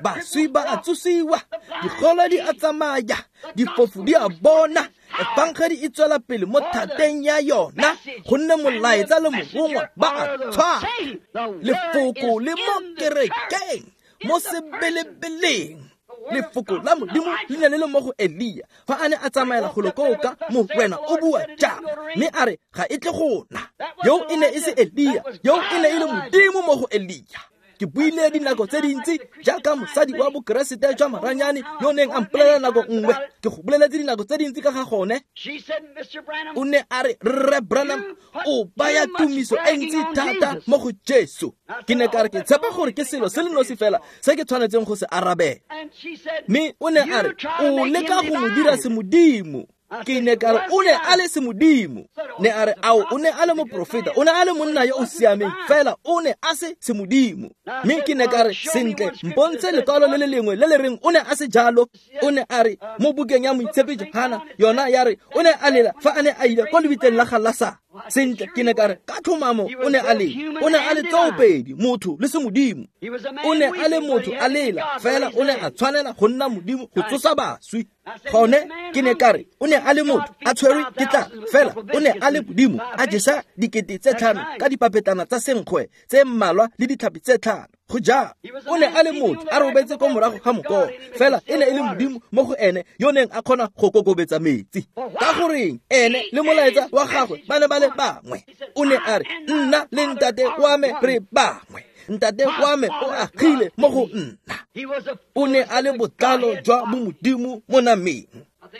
baswi ba a tsosiwa, digolo di a tsamaya, difofu di a bona, efangedi e tswela pele mo thateng ya yona, gonne molaetsa le morongwa ba a tshwana. Lefoko le mo kerekeng, mo sebelebeleng. Lefoko la Modimo le ne le le mo go Elia fa a ne a tsamaela golo koo ka Morena o bua jaana, mme a re ga e tle go na. Yo e ne e se Elia, yo e ne e le Modimo mo go Elia. Ke buile dinako tse dintsi jaaka mosadi wa bokeresete jwa maranyane yo neng a mpolelela nako nngwe. Ke go boleletse dinako tse dintsi ka ga gone. O ne a re, Rre Branham, o baya tumiso e ntsi thata mo go Jesu. Ke ne ka re ke tshepa gore ke selo se le nosi fela se ke tshwanetseng go se arabela. Mme o ne a re, o leka go mo dira semodimo. Ke ne ka re o ne a le semodimo. Ne a re ao, o ne a le moprofeta, o ne a le monna yo o siameng, fela o ne a se semodimo. Mme ke ne ka re, sentle, mpontshe lekwalo le le lengwe le le reng o ne a se jalo. O ne a re mo bukeng ya Moitshepi Johana yona ya re o ne a lela fa a ne a ile ko lebitleng la ga Lasaro. Sentle, ke ne ka re ka tlhomamo o ne a lela. O ne a le tsoopedi, motho le semodimo. O ne a le motho a lela, fela o ne a tshwanela go nna Modimo go tsosa baswi. Gone ke ne ka re o ne a le motho a tshwerwe ke tlala, fela o ne a le Modimo a jesa 5,000 ka dipapetlana tsa senkgwe tse mmalwa le ditlhapi tse 5. Go jalo, o ne a le motho a robetse ko morago ga mokoro, fela e ne e le Modimo mo go ene yo neng a kgona go kokobetsa metsi. Ka goreng ene le molaetsa wa gagwe ba ne ba le bangwe. O ne a re, nna le ntate wa me re bangwe. Ntate wa me o agile mo go nna. O ne a le botlalo jwa bomodimo mo nameng.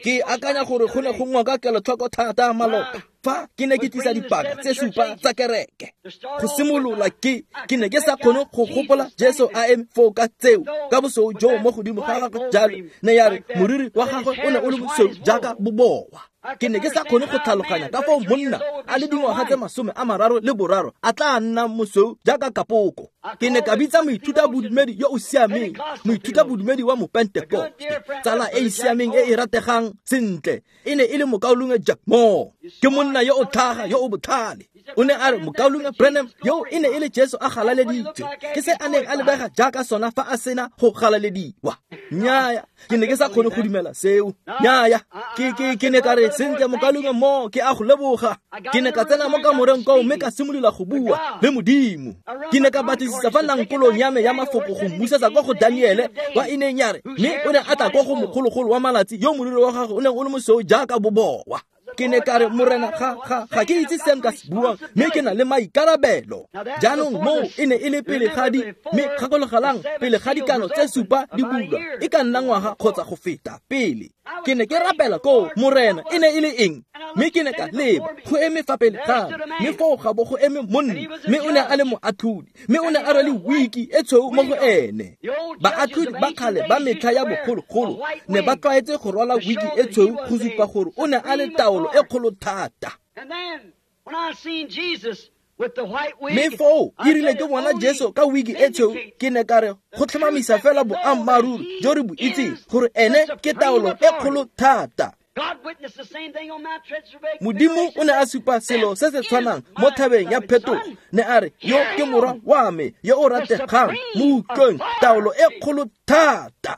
Ke akanya gore go ne go ngoka kelotlhoko thata maloba fa ke ne ke tlisa dipaka tse 7 tsa kereke. Go simolola ke ne ke sa kgone go gopola Jesu a eme foo ka tseo ka bosweu jo mo godimo ga gagwe jalo. Ne ya re moriri wa gagwe o ne o le mosweu jaaka bobowa. Ke ne ke sa kgone go tlhaloganya ka foo monna a le dingwaga tse 33 a tla nna mosweu jaaka kapoko. Ke ne ka bitsa moithuta bodumedi yo o siameng, moithuta bodumedi wa Mopentekoste, tsala e e siameng e e rategang sentle. E ne e le mokaulengwe Jack Moore. Ke monna yo o tlhaga yo o botlhale. O ne a re, mokaulengwe Branham, yo e ne e le Jesu a galaleditswe. Ke se a neng a lebega jaaka sona fa a sena go galalediwa. Nnyaya, ke ne ke sa kgone go dumela seo. Nnyaya, ke ne ka re, sentle mokaulengwe Moore, ke a go leboga. Ke ne ka tsena mo kamoreng koo mme ka simolola go bua le Modimo. Ke ne ka batlisisa fa nankolong ya me ya mafoko go mmusetsa kwa go Daniele kwa e neng ya re, mme o ne a tla kwa go mogologolo wa malatsi yo moriri wa gagwe o neng o le mosweu jaaka bobowa. Ke ne ka re, Morena, ga ke itse se nka se buang, mme ke na le maikarabelo. Jaanong moo e ne e le pele ga di, mme gakologelang, pele ga dikano tse 7 di bulwa, e ka nna ngwaga kgotsa go feta pele. Ke ne ke rapela koo, Morena, e ne e le eng? Mme ke ne ka leba, go eme fa pele ga me, mme foo ga bo go eme monna, mme o ne a le moatlhodi, mme o ne a rwele wiki e tshweu mo go ene. Baatlhodi ba kgale ba metlha ya bogologolo ne ba tlwaetse go rwala wiki e tshweu go supa gore o ne a le taolo e kgolo thata. Mme foo e rile ke bona Jesu ka wiki e tshweu, ke ne ka re go tlhomamisa fela boammaaruri jo re bo itseng gore ene ke taolo e kgolo thata. Modimo o ne a supa selo se se tshwanang mo thabeng ya phetogo, ne a re, yo ke morwa wa me yo o rategang, mo utlweng, taolo e kgolo thata.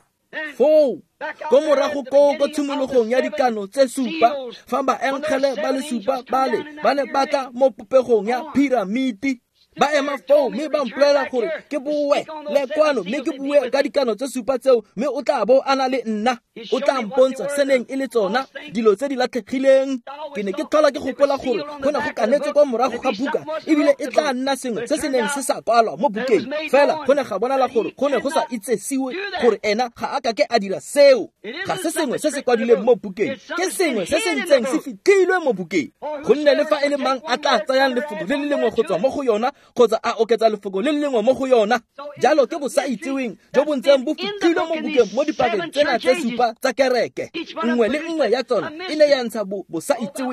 Foo ko morago koo ko tshimologong ya dikano tse supa, fa baengele ba le supa bale ba ne ba tla mo popegong ya piramiti, ba ema foo mme ba mpolelela gore ke boe le kwano mme ke bue ka dikano tse supa tseo, mme o tla bo a na le nna, o tla mpontsha se neng e le tsona dilo tse di latlhegileng. Ke ne ke tlhola ke gopola gore go ne go kanetse kwa morago ga buka, ebile e tla nna sengwe se se neng se sa kwalwa mo bukeng, fela go ne ga bonala gore go ne go sa itsesiwe gore ena ga a ka ke a dira seo. Ga se sengwe se se kwadilweng mo bukeng, ke sengwe se se ntseng se fitlhilwe mo bukeng. Gonne le fa e le mang a tla tsayang lefoko le le lengwe go tswa mo go yona kgotsa a oketsa lefoko le le lengwe mo go yona, jalo ke bosaitseweng jo bo ntseng bo fitlhilwe mo bukeng mo dipakeng tsena tse supa tsa kereke. Nngwe le nngwe ya tsona e ne ya ntsha bosaitseweng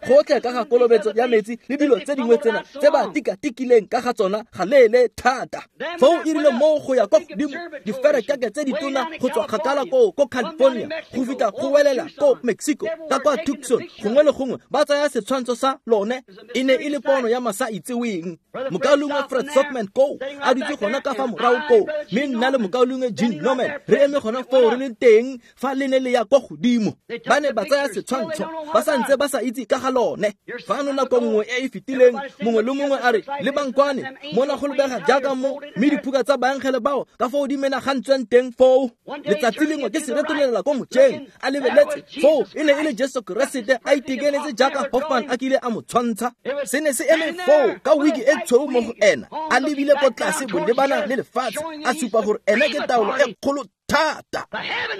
gotlhe ka ga kolobetso ya metsi le dilo tse dingwe tsena tse ba tikatikileng ka ga tsona ga leele thata. Foo e rile moo go ya kwa godimo diferekeke tse ditona go tswa kgakala koo ko California go fitlha go welela ko Mexico ka kwa Tucson, gongwe le gongwe ba tsaya setshwantsho sa lone. E ne e le pono ya masaitseweng. Mokaulengwe Fred Sockman koo a dutse gona ka fa morago koo, mme nna le mokaulengwe Gene Norman re eme gona foo re le teng fa le ne le ya kwa godimo. Ba ne ba tsaya setshwantsho ba sa ntse ba sa itse ka ga lone. Fano nako nngwe e e fetileng mongwe le mongwe a re, lebang kwane mona go lebega jaaka mo, mme diphuka tsa baengele bao ka foo di menagantsweng teng foo. Letsatsi lengwe ke se retolela ko mojeng a lebeletse foo, e ne e le Jesu Keresete a itekanetse jaaka Hoffman a kile a mo tshwantsha. Se ne se eme foo ka wiki e tshweu mo go ena, a lebile ko tlase bolebana le lefatshe, a supa gore ena ke taolo e kgolo thata.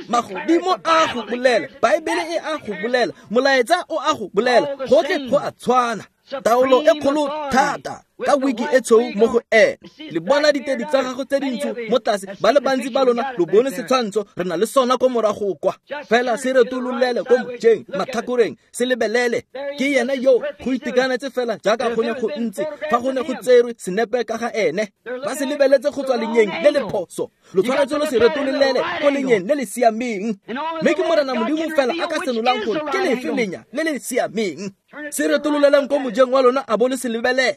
Magodimo a go bolela, Baebele e a go bolela, molaetsa o a go bolela, gotlhe go a tshwana. Taolo e kgolo thata ka wiki e tshweu mo go ena. Le bona ditedi tsa gagwe tse dintsho mo tlase, ba le bantsi ba lona lo bone setshwantsho, re na le sona ko morago kwa. Fela se retololele ko mojeng matlhakoreng, se lebelele. Ke yena yo go itekanetse fela jaaka go ne go ntse fa go ne go tserwe senepe ka ga ene. Ba se lebeletse go tswa lenyeng le le phoso, lo tshwanetse lo se retololele ko lenyeng le le siameng. Mme ke Morena Modimo fela a ka senolang gore ke lefe lenya le le siameng. Se retololelang ko mojeng wa lona a bo le se lebelela.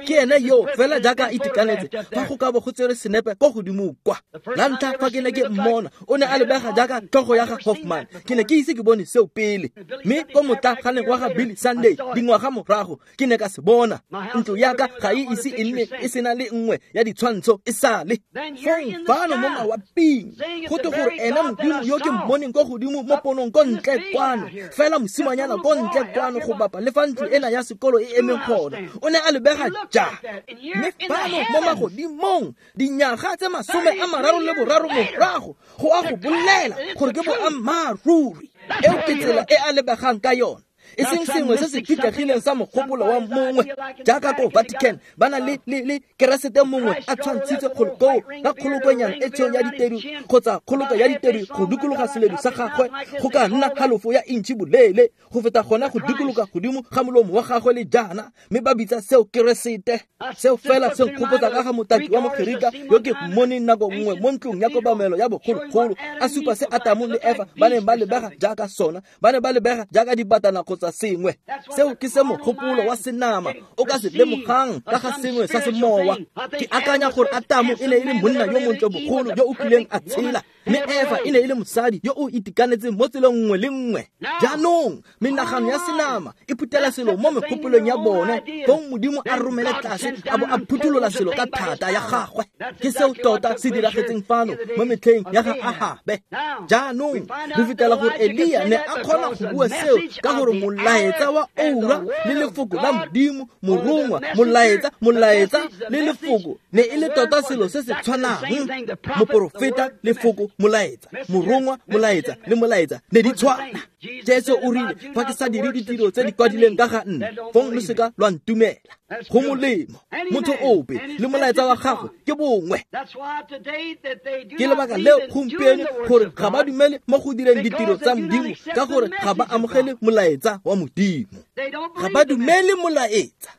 Ke ene yo fela jaaka a itekanetse fa go ka bo go tsere senepe ko godimo kwa. La ntlha fa ke ne ke mmona, o ne a lebega jaaka tlhogo ya ga Hoffman. Ke ne ke ise ke bone seo pele, mme ko motlaganeng wa ga Billy Sunday dingwaga morago ke ne ka se bona. Ntlo ya ka ga e ise e nne e sena le nngwe ya ditshwantsho e sale. Fong fano mo mawaping go twe gore ena Modimo yo ke mmoneng ko godimo mo ponong ko ntle kwano, fela mosimanyana ko ntle kwano go bapa le fa ntlo ena ya sekolo e emeng gona, o ne a lebega ja. Mme fano mo magodimong dinyaga tse 33 morago go a go bolela gore ke boammaaruri. Eo ke tsela e a lebegang ka yona, e seng sengwe se se fitlhegileng sa mogopolo wa mongwe. Jaaka ko Vatican ba na le Keresete mongwe a tshwantshitse kgolokoo ka kgolokonyana e tshweu ya ditedu kgotsa kgoloko ya ditedu go dikologa seledu sa gagwe, go ka nna halofo ya intšhi boleele go feta gona go dikologa godimo ga molomo wa gagwe le jaana, mme ba bitsa seo Keresete. Seo fela se nkgopotsa ka ga motaki wa Mogerika yo ke mmoneng nako nngwe mo ntlong ya kobamelo ya bogologolo a supa se Atamo le Efa ba neng ba lebega jaaka sona, ba ne ba lebega jaaka dibatana kgotsa sengwe. Seo ke se mogopolo wa senama o ka se lemogang ka ga sengwe sa semowa. Ke akanya gore Atamo e ne e le monna yo montle bogolo yo o kileng a tshela, mme Efa e ne e le mosadi yo o itekanetseng mo tseleng nngwe le nngwe. Jaanong menagano ya senama e phutela selo mo megopolong ya bone, fong Modimo a romele tlase a bo a phutholola selo ka thata ya gagwe. Ke seo tota se diragetseng fano mo metlheng ya ga Ahabe. Jaanong re fitlhela gore Elia ne a kgona go bua seo ka gore molaetsa wa oura le lefoko la Modimo, morongwa, molaetsa le lefoko ne e le tota selo se se tshwanang. Moporofeta, lefoko, molaetsa, morongwa, molaetsa le molaetsa ne di tshwana. Jesu o rile, fa ke sa dire ditiro tse di kwadileng ka ga nna, fong lo seka lwa ntumela. Go molemo motho ope le molaetsa wa gagwe ke bongwe. Ke lebaka leo gompieno gore ga ba dumele mo go direng ditiro tsa Modimo, ka gore ga ba amogele molaetsa wa Modimo. Ga ba dumele molaetsa.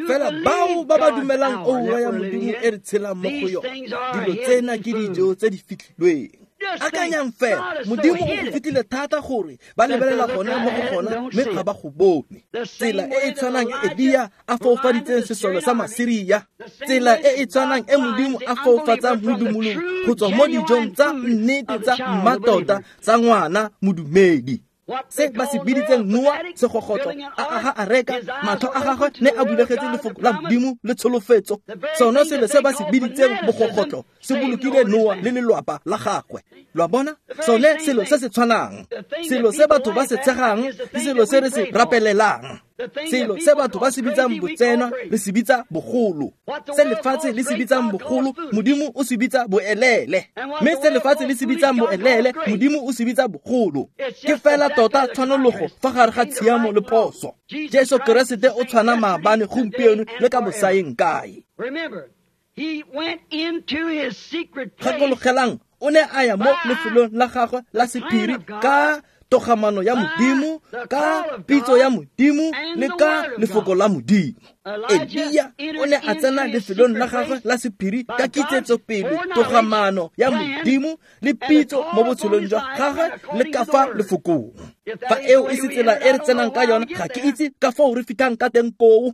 Fela bao ba ba dumelang oura ya Modimo e re tshelang mo go yona, dilo tsena ke dijo tse di fitlhilweng. Akanyang fela, Modimo o go fetile thata gore ba lebelela gone mo go gona mme ga ba go bone. Tsela e e tshwanang e Elia a foufaditseng sesole sa Masiria, tsela e e tshwanang e Modimo a foufatsang modumolong go tswa mo dijong tsa nnete tsa mmatota tsa ngwana modumedi. Se ba se biditseng Noa segogotlo a aga areka, matlho a gagwe ne a bulegetse lefoko la Modimo le tsholofetso. Sone selo se ba se biditseng bogogotlo se bolokile Noa le lelwapa la gagwe. Lo a bona? Sone selo se se tshwanang, selo se batho ba se tshegang ke selo se re se rapelelang. Selo se batho ba se bitsang botsenwa re se bitsa bogolo. Se lefatshe le se bitsang bogolo, Modimo o se bitsa boelele. Mme se lefatshe le se bitsang boelele, Modimo o se bitsa bogolo. Ke fela tota tshwanologo fa gare ga tshiamo le phoso. Jesu Keresete o tshwana maabane, gompieno le ka bosaeng kae. Gakologelang, o ne a ya mo lefelong la gagwe la sephiri ka togamano ya Modimo, ka pitso ya Modimo le ka lefoko la Modimo. Elia o ne a tsena lefelong la gagwe la sephiri ka kitsetsopele, togamano ya Modimo le pitso mo botshelong jwa gagwe le ka fa lefokong. Fa eo e se tsela e re tsenang ka yona, ga ke itse ka foo re fitlhang ka teng koo.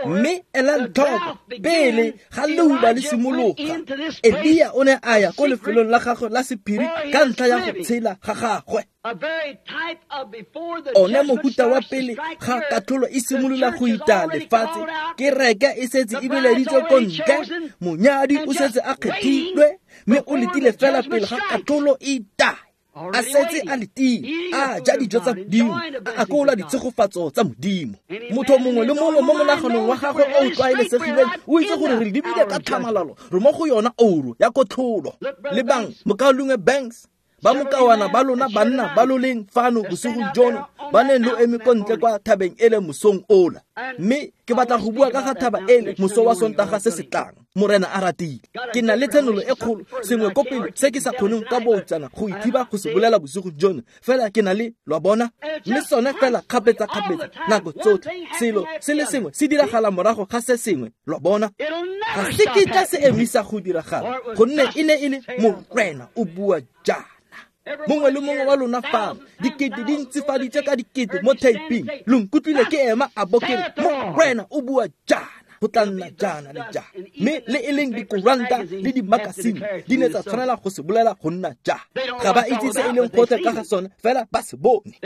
Mme elang tlhoko, pele ga leuba le simologa, Elia o ne a ya ko lefelong la gagwe la sephiri ka ntlha ya go tshela ga gagwe. One mohuta wa pele ga katlholo e simolola go ita lefatshe, kereke e setse e bileditswe ko ntle, monyadi o setse a kgethilwe, mme o letile fela pele ga katlholo e ita. A setse a letile, a ja dijo tsa Modimo, a akola ditshegofatso tsa Modimo. Motho mongwe le mongwe mo monaganong wa gagwe o o tlwaelesegileng o itse gore re lebile ka tlhamalalo, re mo go yona ouro ya kotlholo. Lebang Mokaulengwe Banks, ba mokawana ba lona banna ba lo leng fano bosigong jono, ba neng lo eme ko ntle kwa thabeng ele mosong ola. Mme ke batla go bua ka ga thaba ele moso wa Sontaga se se tlang, Morena a ratile. Ke na le tshenolo e kgolo, sengwe ko pele se ke sa kgoneng ka boutsana go ithiba go se bolela bosigo jono, fela ke na le, lo a bona? Mme sone fela kgapetsa-kgapetsa nako tsotlhe, selo se le sengwe se diragala morago ga se sengwe, lo a bona? Ga se kitla se emisa go diragala, gonne e ne e le Morena o bua jaana. Mongwe le mongwe wa lona fano, dikete di ntsifaditswe ka dikete mo taping, lo nkutlwile ke ema a bo ke re, Morena o bua jaana, go tla nna jaana le jaana. Mme le e leng dikoranta le dimakasine di ne tsa tshwanela go se bolela go nna jaana. Ga ba itse se e leng gotlhe ka ga sone, fela ba se bone.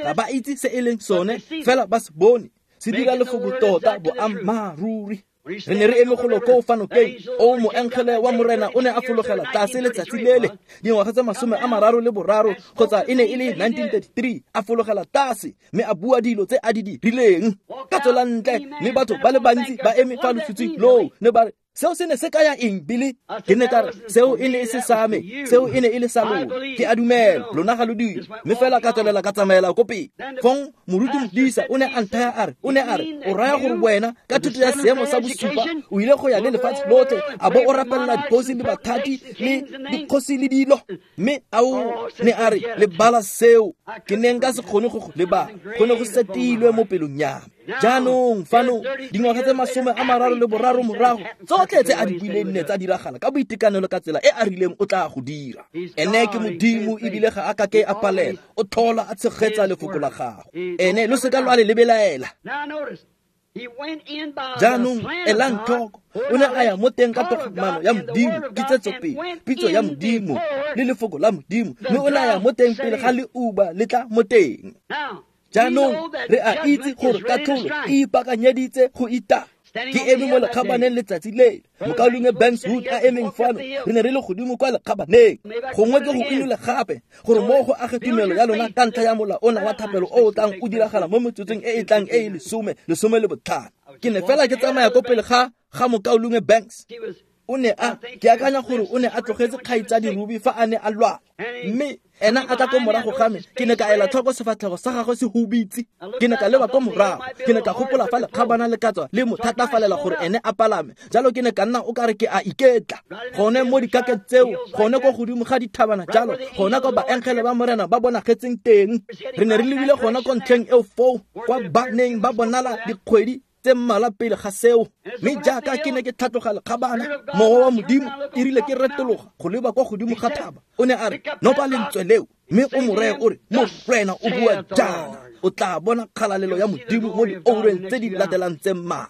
Ga ba itse se e leng sone, fela ba se bone. Se dira lefoko tota boammaaruri. Re ne re eme golo koo fa nokeng, o moengele wa Morena o ne a fologela tlase letsatsi lele, dingwaga tse 33 kgotsa e ne e le 1933, a fologela tlase mme a bua dilo tse a di dirileng. Ka tswela ntle, mme batho ba le bantsi ba eme fa lotshitshing loo, ne ba re, seo se ne se kaya eng, Billy? Ke ne ka re, seo e ne e se sa me, seo e ne e le sa lona. Ke a dumela, lona ga lo dire. Mme fela ka tswelela ka tsamaela ko pele. Fong moruti Modisa o ne a nthaya a re, o ne a re, o raya gore wena ka thuto ya seemo sa bosupa o ile go ya le lefatshe lotlhe, a bo o rapelela dikgosi le bathati le dikgosi le dilo. Mme ao ne a re, lebala seo, ke ne nka se kgone go go lebala, go ne go setilwe mo pelong ya me. Jaanong fano dingwaga tse 33 morago, tsotlhe tse a di buileng ne tsa diragala ka boitekanelo ka tsela e a rileng o tla go dira. Ene ke Modimo ebile ga a kake a palela, o tlhola a tshegetsa lefoko la gagwe. Ene lo seka lwa le lebelaela. Jaanong elang tlhoko, o ne a ya mo teng ka togamano ya Modimo, kitsetsopele, pitso ya Modimo le lefoko la Modimo, mme o ne a ya mo teng pele ga leuba le tla mo teng. Jaanong re a itse gore katlholo e ipaakanyeditse go ita. Ke eme mo lekgabaneng letsatsi lele, Mokaulengwe Banks Wood a emeng fano, re ne re le godimo kwa lekgabaneng. Gongwe ke go inole gape, gore mo go age tumelo ya lona ka ntlha ya mola ona wa thapelo o o tlang o diragala mo metsotsong e e tlang e e 15. Ke ne fela ke tsamaya ko pele ga Mokaulengwe Banks. O ne a, ke akanya gore o ne a tlogetse kgaitsadi Ruby fa a ne a lwala, mme ena a tla ko morago ga me. Ke ne ka ela tlhoko sefatlhego sa gagwe se hubitse. Ke ne ka leba ko morago, ke ne ka gopola fa lekgabana le ka tswa le mo thatafalela gore ene a palame. Jalo ke ne ka nna o kare ke a iketla gone mo dikakeng tseo, gone ko godimo ga dithabana jalo, gona ko baengele ba Morena ba bonagetseng teng. Re ne re lebile gona ko ntlheng eo foo, kwa ba neng ba bonala dikgwedi tse mmalwa pele ga seo. Mme jaaka ke ne ke tlhatloga lekgabana, mowa wa Modimo e rile ke retologa go leba kwa godimo ga thaba, o ne a re, nopa lentswe leo mme o mo reye o re, Morena o bua jaana, o tla bona kgalalelo ya Modimo mo dioureng tse di latelang tse mmalwa.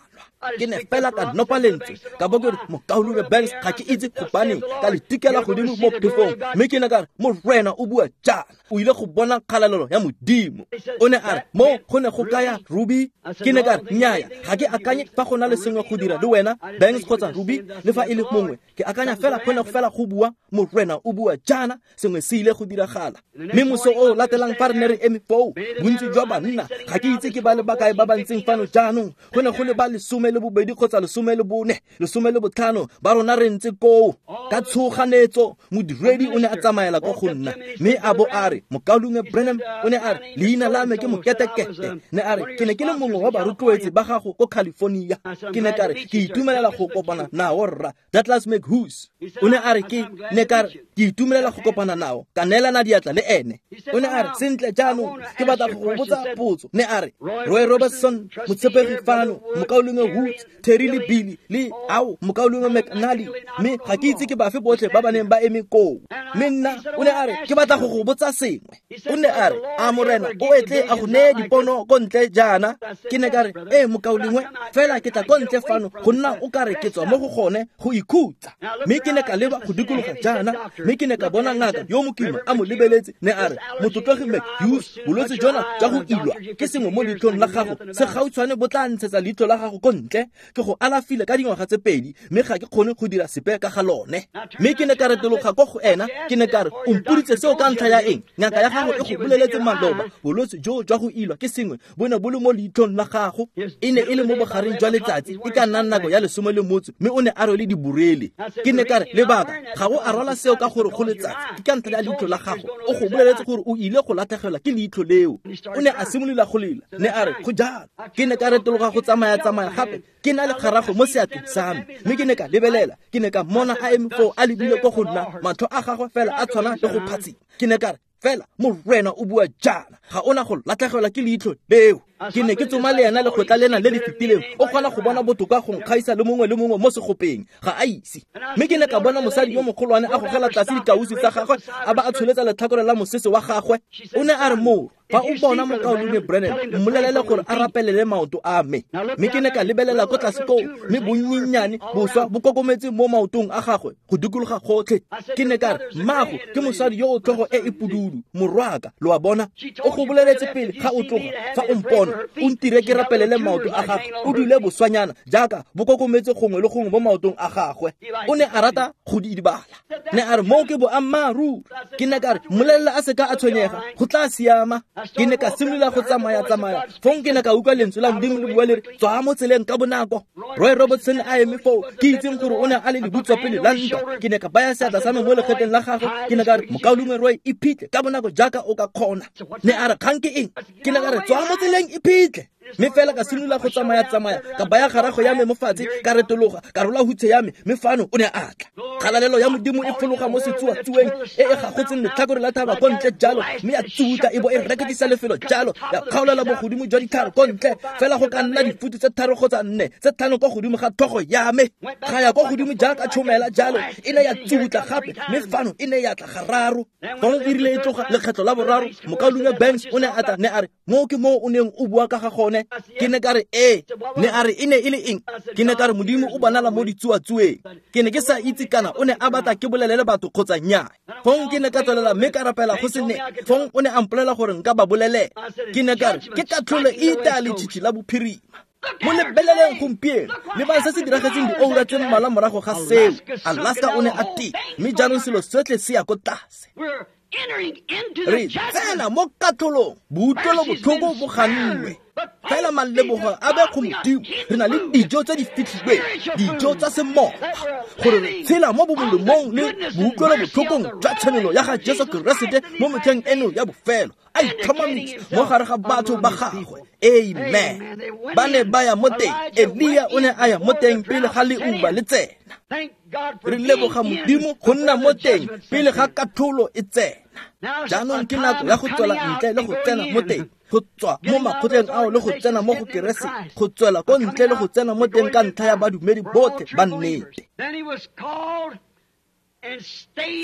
Ke ne fela ka nopa lentswe, ka bo ke re, Mokaulengwe Banks, ga ke itse gobaneng, ka le tikela godimo mo phefong, mme ke ne ka re, Morena o bua jaana, o ile go bona kgalalelo ya Modimo. O ne a re, mo go ne go kaya Ruby? Ke ne ka re, nnyaya, ga ke akanye fa go na le sengwe go dira le wena, Banks kgotsa Ruby, le fa e le mongwe. Ke akanya fela go ne fela go bua, Morena o bua jaana, sengwe se ile go diragala. Mme moso o latelang fa re ne re eme foo, bontsi jwa banna, ga ke itse ke ba le bakae ba ba ntseng fano jaanong, go ne go le ba 12 kgotsa 14, 15 ba rona re ntse koo. Ka tshoganetso modiredi o ne a tsamaela ko go nna, mme a bo a re, Mokaulengwe Branham, o ne a re, leina la me ke Moketekete. Ne a re, ke ne ke le mongwe wa barotloetsi ba gago ko California. Ke ne ka re, ke itumelela go kopana nao rra, Douglas McHughes. O ne a re, ke ne ka re, ke itumelela go kopana nao, ka neelana diatla le ene. O ne a re, sentle jaanong ke batla go go botsa potso. Ne a re, Roy Robertson, motshepegi fano, Mokaulengwe Woods, Terry le Billy le ao Mokaulengwe McNally, mme ga ke itse ke bafe botlhe ba ba neng ba eme koo. Mme nna, o ne a re, ke batla go go botsa sengwe. O ne a re, a Morena o etle a go neye dipono ko ntle jaana? Ke ne ka re, ee mokaulengwe, fela ke tla ko ntle fano go nna o ka re ke tswa mo go gone go ikhutsa. Mme ke ne ka leba go dikologa jaana, mme ke ne ka bona ngaka yo mokima a mo lebeletse. Ne a re, Motlotlegi McHughes, bolwetse jona jwa go ilwa ke sengwe mo leitlhong la gago se gautshwane bo tla ntshetsa leitlho la gago ko ntle. Ke go alafile ka dingwaga tse 2, mme ga ke kgone go dira sepe ka ga lone. Mme ke ne ka retologa ko go ena, ke ne ka re, o mpoditse seo ka ntlha ya eng? Ngaka ya gago e go boleletse maloba, bolwetse jo jwa go ilwa ke sengwe bo ne bo le mo leitlhong la gago. E ne e le mo bogareng jwa letsatsi, e ka nna nako ya 18, mme o ne a rwele diborele. Ke ne ka re, lebaka ga o a rwala seo ka gore go letsatsi, ke ka ntlha ya leitlho la gago. O go boleletse gore o ile go latlhegelwa ke leitlho leo. O ne a simolola go lela, ne a re, go jalo. Ke ne ka retologa go tsamaya-tsamaya gape, ke na le kgarago mo seatleng sa me, mme ke ne ka lebelela, ke ne ka mmona a eme foo a lebile ko go nna, matlho a gagwe fela a tshwana le go phatsima. Ke ne ka re, fela Morena o bua jaana, ga ona go latlhegelwa ke leitlho leo. Ke ne ke tsoma le ena lekgotla lena le le fetileng, o kgona go bona botoka go nkgaisa le mongwe le mongwe mo segopeng, ga a ise. Mme ke ne ka bona mosadi yo mogolwane a gogela tlase dikausi tsa gagwe, a ba a tsholetsa letlhakore la mosese wa gagwe. O ne a re, moro, fa o bona Mokaulengwe Branham, mmolelele gore a rapelele maoto a me. Mme ke ne ka lebelela ko tlase koo, mme bonnyennyane boswa bo kokometse mo maotong a gagwe go dikologa gotlhe. Ke ne ka re, mmago ke mosadi yo o tlhogo e e pududu, morwaka, lo a bona. O go boleletse pele ga o tloga, fa o mpona, o ntire ke rapelele maoto a gagwe, o dule boswanyana jaaka bo kokometse gongwe le gongwe mo maotong a gagwe. O ne a rata go di idibala. Ne a re, moo ke boammaaruri. Ke ne ka re, mmolelela a seka a tshwenyega, go tla siama. Ke ne ka simolola go tsamaya-tsamaya, fong ke ne ka utlwa lentswe la Modimo le bua le re, tswa mo tseleng ka bonako. Roy Robertson a eme foo, ke itseng gore o ne a le lebutswapele la ntwa. Ke ne ka baya seatla sa me mo legetleng la gagwe, ke ne ka re, Mokaulengwe Roy, iphitlhe ka bonako jaaka o ka kgona. Ne a re, kgang ke eng? Ke ne ka re, tswa mo tseleng, iphitlhe. Mme fela ka simolola go tsamaya-tsamaya, ka baya garago ya me mo fatshe, ka retologa, ka rola hutshe ya me, mme fano o ne a tla. Kgalalelo ya Modimo e fologa mo setsuatsueng e e gagotseng letlhakore la thaba ko ntle jalo, mme ya tsutla e bo e reketisa lefelo jalo, ya kgaolela bogodimo jwa ditlhare ko ntle, fela go ka nna difutu tse 3 kgotsa 4, tse 5 ko godimo ga tlhogo ya me. Ga ya ko godimo jaaka tšhomela jalo, e ne ya tsutla gape, mme fano e ne ya tla gararo. Fong e rile e tloga lekgetlo la boraro, Mokaulengwe Banks o ne a tla, ne a re, moo ke moo o neng o bua ka ga gone. Ke ne ka re, ee. Ne a re, e ne e le eng? Ke ne ka re, Modimo o bonala mo ditsuatsueng. Ke ne ke sa itse kana o ne a batla ke bolelele batho kgotsa nnyaa. Fong ke ne ka tswelela mme ka rapela go se ne. Fong o ne a mpolelela gore nka ba bolelela. Ke ne ka re, ke katlholo e itaya letšhitšhi la bophirima. Mo lebeleleng gompieno, lebang se se diragetseng dioura tse mmalwa morago ga seo. Alaska o ne a tea, mme jaanong selo sotlhe se ya ko tlase. Re tsena mo katlholong, boutlwelo botlhoko bo gannwe. Fela malebogo a be go Modimo, re na le dijo tse di fitlhilweng, dijo tsa semoya, gore re tshela mo bomolemong le boutlwelo botlhokong jwa tshenolo ya ga Jesu Keresete mo metlheng eno ya bofelo, a itlhomamisa mo gare ga batho ba gagwe. Amen. Ba ne ba ya mo teng, Elia o ne a ya mo teng pele ga leuba le tsena. Re leboga Modimo go nna mo teng pele ga katlholo e tsena. Jaanong ke nako ya go tswela ntle le go tsena mo teng. Go tswa mo makgotleng ao le go tsena mo go Keresete, go tswela ko ntle le go tsena mo teng ka ntlha ya badumedi botlhe ba nnete.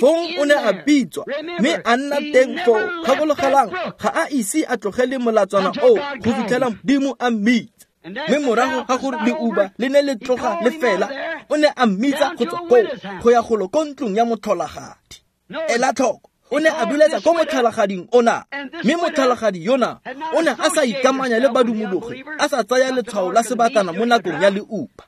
Fong o ne a bitswa mme a nna teng foo. Gakologelang, ga a ise a tlogele molatswana oo go fitlhela Modimo a mmitsa. Mme morago ga gore leuba le ne le tloga le fela, o ne a mmitsa go tswa koo go ya golo ko ntlong ya motlholagadi. Ela tlhoko, o ne a biletsa ko motlhalagading ona, mme motlhalagadi yona o ne a sa ikamanya le badumologi, a sa tsaya letshwao la sebatana mo nakong ya leuba.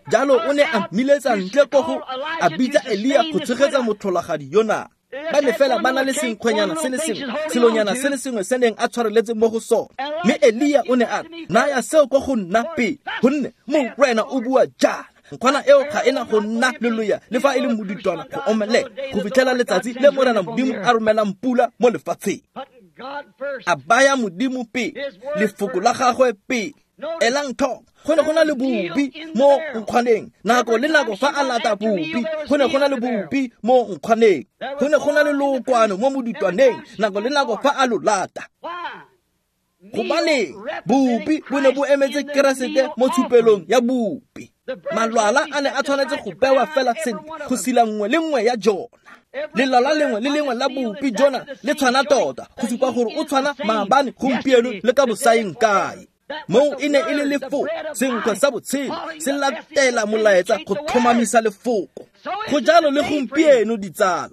Jalo o ne a mmiletsa ntle ko go a bitsa Elia go tshegetsa motlholagadi yona. Ba ne fela ba na le senkgwenyana se le sengwe, selonyana se le sengwe se neng a tshwareletse mo go sone. Mme Elia o ne a re, naya seo ko go nna pele, gonne Morena o bua jaana, nkgwana eo ga ena go nna leloya le fa e le modutwana go omelela go fitlhela letsatsi le Morena Modimo a romelang pula mo lefatsheng. A baya Modimo pele, lefoko la gagwe pele. Elang tlhoko, go ne go na le bopi mo nkgwaneng. Nako le nako fa a lata bopi, go ne go na le bopi mo nkgwaneng. Go ne go na le lookwane mo modutwaneng, nako le nako fa a lo lata. Gobaneng bopi bo ne bo emetse Keresete mo tshupelong ya bopi. Malwala a ne a tshwanetse go bewa fela sentle go sila nngwe le nngwe ya jona. Lelala lengwe le lengwe la bopi jona le tshwana tota, go supa gore o tshwana maabane, gompieno le ka bosaeng kae. Moo e ne e le lefoko, senkgwe sa botshelo se latela molaetsa go tlhomamisa lefoko. Go jalo le gompieno, ditsala.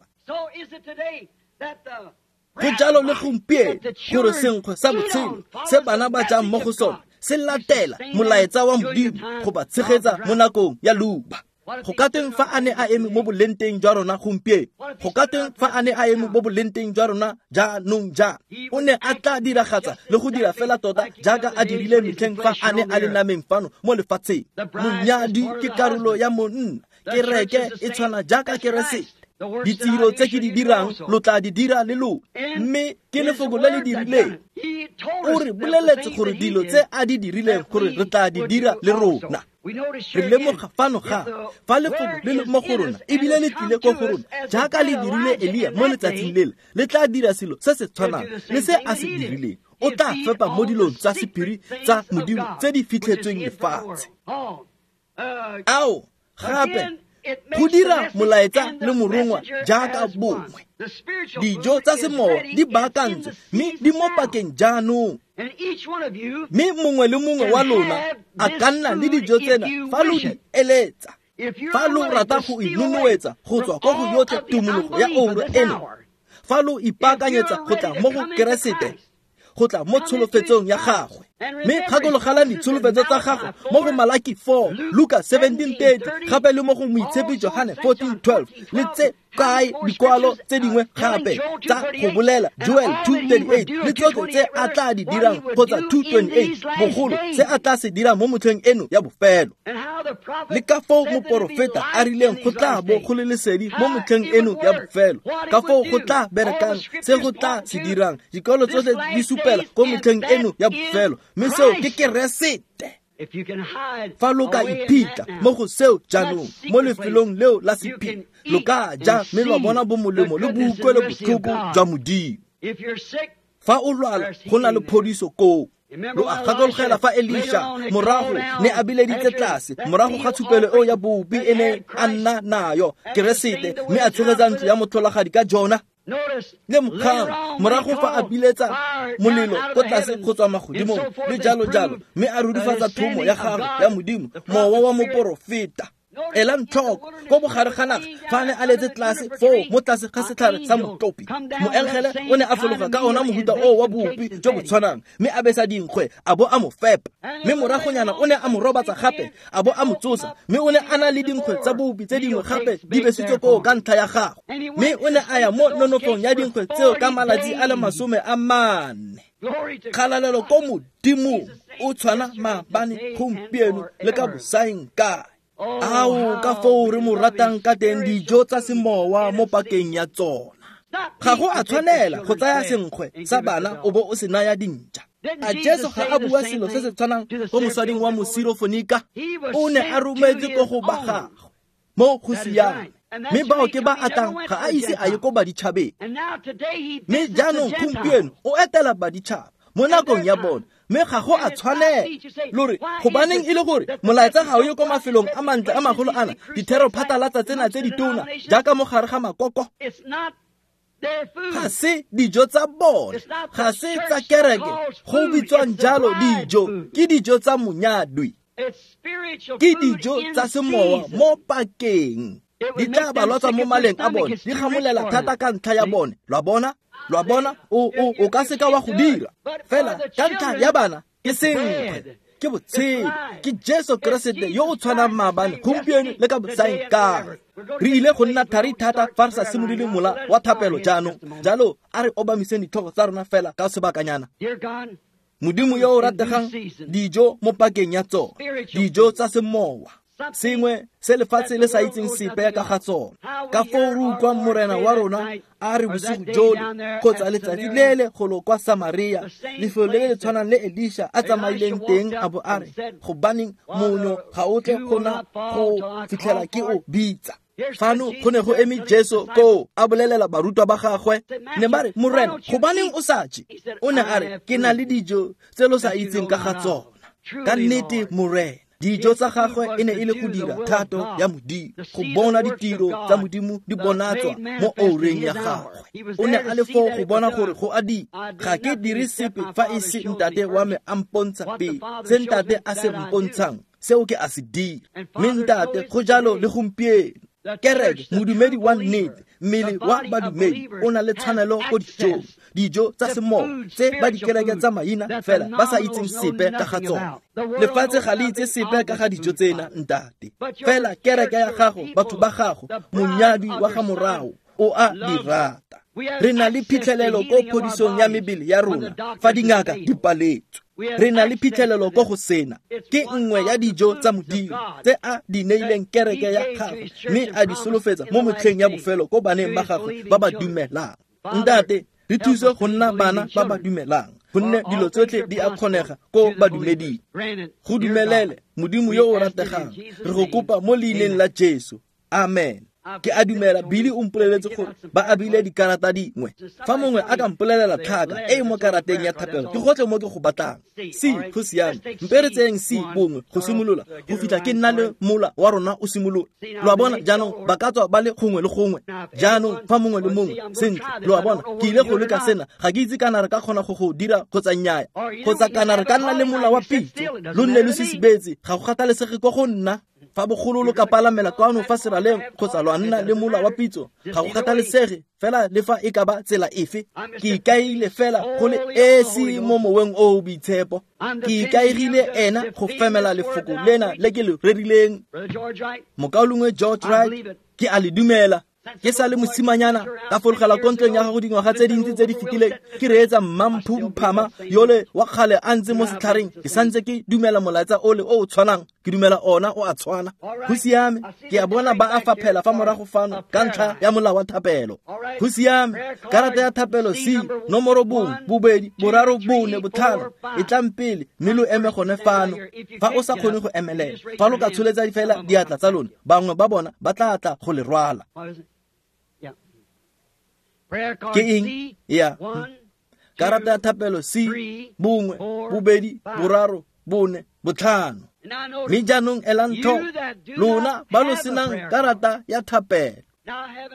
Go jalo le gompieno gore senkgwe sa botshelo se bana ba jang mo go sone se latela molaetsa wa Modimo go ba tshegetsa mo nakong ya leuba. Go ka teng fa a ne a eme mo bolenteng jwa rona gompieno? Go ka teng fa a ne a eme mo bolenteng jwa rona jaanong jaana? O ne a tla diragatsa le go dira fela tota jaaka a dirile metlheng fa a ne a le nameng fano mo lefatsheng. Monyadi ke karolo ya monna, kereke e tshwana jaaka Keresete. Ditiro tse ke di dirang lo tla di dira le lona, mme ke lefoko le le dirileng. O re boleletse gore dilo tse a di dirileng gore re tla di dira le rona. Re lemoga fano ga fa lefoko le le mo go rona ebile le tlile ko go rona jaaka le dirile Elia mo letsatsing lele, le tla dira selo se se tshwanang le se a se dirileng. O tla fepa mo dilong tsa sephiri tsa Modimo tse di fitlhetsweng lefatshe. Ao gape go dira molaetsa le morongwa jaaka bongwe. Dijo tsa semowa di baakantswe mme di mo pakeng jaanong. Mme mongwe le mongwe wa lona a ka nna le dijo tsena fa lo di eletsa. Fa lo rata go inonoetsa go tswa ko go yotlhe tumologo ya oura eno, fa lo ipaakanyetsa go tla mo go Keresete, go tla mo tsholofetsong ya gagwe. Mme gakologelang ditsholofetso tsa gagwe mo go Malaki 4, Luka 17:30, gape le mo go Moitshepi Johane 14:12, le tse kae dikwalo tse dingwe gape tsa go bolela Joel 2:38, le tsotlhe tse a tla di dirang kgotsa 2:28, bogolo se a tla se dirang mo motlheng eno ya bofelo. Le ka foo moporofeta a rileng go tla bo go le lesedi mo motlheng eno ya bofelo, ka foo go tla berekang se go tla se dirang. Dikwalo tsotlhe di supela ko motlheng eno ya bofelo, mme seo ke Keresete. Fa lo ka iphitlha mo go seo jaanong, mo lefelong leo la sephiri, lo ka ja mme lwa bona bomolemo le boutlwelo botlhoko jwa Modimo. Fa o lwala, go na le phodiso koo. Lo a gakologela fa Elisha morago ne a bileditse tlase morago ga tshupelo eo ya bopi e ne a nna nayo Keresete, mme a tshegetsa ntlo ya motlholagadi ka jona. Le mogang morago fa a biletsa molelo ko tlase go tswa magodimong le jalo jalo, mme a rudifatsa thomo ya gagwe ya Modimo, mowa wa moporofeta. Elang tlhoko ko bogare ga naga fa a ne a letse tlase foo mo tlase ga setlhare sa motlopi, moengele o ne a fologa ka ona mohuta oo wa bopi jo bo tshwanang, mme a besa dinkgwe a bo a mo fepa. Mme moragonyana o ne a mo robatsa gape a bo a mo tsosa, mme o ne a na le dinkgwe tsa bopi tse dingwe gape di besitswe koo ka ntlha ya gagwe. Mme o ne a ya mo nonofong ya dinkgwe tseo ka malatsi a le 40. Kgalalelo ko Modimong, o tshwana maabane, gompieno le ka bosaeng kae. Ao ka foo re mo ratang ka teng dijo tsa semowa mo pakeng ya tsona. Ga go a tshwanela go tsaya senkgwe sa bana o bo o se naya dintša. A Jesu ga a bua selo se se tshwanang ko mosading wa Mosirofonika? O ne a rometse ko go ba gagwe mo go siame, mme bao ke ba atang ga a ise a ye ko baditšhabeng. Mme jaanong gompieno o etela baditšhaba, mo nakong ya bone, mme ga go a tshwanela. Lore gobaneng e le gore molaetsa ga o ye ko mafelong a mantle a magolo ana, dithero phatlalatsa tsena tse ditona jaaka mo gare ga makoko? Ga se dijo tsa bone, ga se tsa kereke go bitswang jalo dijo, ke dijo tsa monyadwi, ke dijo tsa semowa mo pakeng. Di tla ba lwatswa mo maleng a bone, di gamolela thata ka ntlha ya bone. Lwa bona, lwa bona, o ka seka wa go dira. Fela ka ntlha ya bana ke senkgwe, ke botshelo, ke Jesu Keresete yo o tshwanang maabane, gompieno le ka bosaengkae. Re ile go nna thari thata fa re sa simolole mola wa thapelo jaanong. Jalo a re obamiseng ditlhogo tsa rona fela ka sebakanyana. Modimo yo o rategang, dijo mo pakeng ya tsona, dijo tsa semowa, sengwe se lefatshe le sa itseng sepe ka ga tsona. Ka foo re utlwang Morena wa rona a re bosigo jole kgotsa letsatsi lele golo kwa Samaria, lefelo le le tshwanang le Elisha a tsamaileng teng, a bo a re, gobaneng monyo ga o tle go na go fitlhela ke o bitsa. Fano go ne go eme Jesu koo a bolelela barutwa ba gagwe, ne ba re, Morena, gobaneng o sa je? O ne a re, ke na le dijo tse lo sa itseng ka ga tsona. Ka nnete Morena, dijo tsa gagwe e ne e le go dira thato ya Modimo, go bona ditiro tsa Modimo di bonatswa mo oureng ya gagwe. O ne a le foo go bona gore go a dira. Ga ke dire sepe fa e se ntate wa me a mpontsha pele. Se ntate a se mpontshang, seo ke a se dira. Mme ntate, go jalo le gompieno. Kereke, modumedi wa nnete, mmele wa badumedi o na le tshwanelo ko dijong, dijo tsa semowa tse ba dikereke tsa maina fela ba sa itseng sepe ka ga tsona. Lefatshe ga le itse sepe ka ga dijo tsena, ntate. Fela kereke ya gago, batho ba gago, monyadwi wa ga morago o a di rata. Re na le phitlhelelo ko phodisong ya mebele ya rona fa dingaka di paletswe. Re na le phitlhelelo ko go sena. Ke nngwe ya dijo tsa Modimo tse a di neileng kereke ya gagwe, mme a di solofetsa mo motlheng ya bofelo ko baneng ba gagwe ba ba dumelang. Ntate, re thuse go nna bana ba ba dumelang, gonne dilo tsotlhe di a kgonega ko badumeding. Go dumelele, Modimo yo o rategang, re go kopa mo leineng la Jesu. Amen. Ke a dumela Billy o mpoleletse gore ba abile dikarata dingwe. Fa mongwe a ka mpolelela tlhaka e e mo karateng ya thapelo, ke gotlhe mo ke go batlang. C, go siame. Mpe re tseyeng C bongwe go simolola go fitlha ke nna le mola wa rona o simolola. Lo a bona jaanong ba ka tswa ba le gongwe le gongwe. Jaanong fa mongwe le mongwe, sentle, lo a bona, ke ile go leka sena, ga ke itse kana re ka kgona go go dira kgotsa nnyaya, kgotsa kana re ka nna le mola wa pitso, lo nne lo sisibetse, ga go kgathalesege ko go nna. Fa bogolo lo ka palamela kwano fa seraleng kgotsa lwa nna le mola wa pitso, ga go kgathalesege fela le fa e ka ba tsela efe. Ke ikaegile fela go le esi mo moweng o o boitshepo. Ke ikaegile ena go femela lefoko lena le ke le rerileng. Mokaulengwe George Wright, ke a le dumela. Ke sa le mosimanyana ka fologela ko ntlong ya gago dingwaga tse dintsi tse di fetileng, ke reetsa Mmamphu Mphama yole wa kgale a ntse mo setlhareng. Ke santse ke dumela molaetsa ole o o tshwanang, ke dumela ona o a tshwana. Go siame, ke a bona ba a faphela fa morago fano ka ntlha ya molao wa thapelo. Go siame, karata ya thapelo C, nomoro 1, 2, 3, 4, 5, e tlang pele, mme lo eme gone fano. Fa o sa kgone go emelela, fa lo ka tsholetsa fela diatla tsa lona, bangwe ba bona ba tla tla go le rwala. Ke eng? Ya. Karata ya thapelo C, 1, 2, 3, 4, 5. Mme jaanong elang tlhoko, lona ba lo senang karata ya thapelo.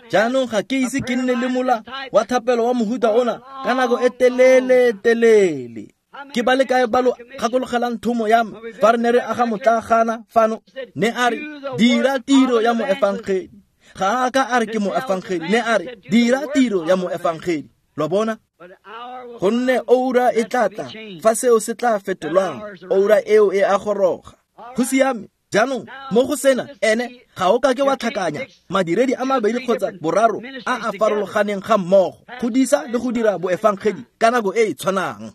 Jaanong ga ke ise ke nne le mola wa thapelo wa mohuta ona ka nako e telele telele. Ke ba le kae ba lo gakologelang thomo ya me fa re ne re aga motlagana fano? Ne a re, dira tiro ya moefangedi. Ga a ka a re ke moefangedi, ne a re, dira tiro ya moefangedi. Lo bona? Gonne oura e tla tla fa seo se tla fetolwang, oura eo e a goroga. Go siame. Jaanong mo go sena ene ga o ka ke wa tlhakanya madiredi a mabedi kgotsa boraro a a farologaneng ga mmogo, go disa le go dira boefangedi ka nako e e tshwanang.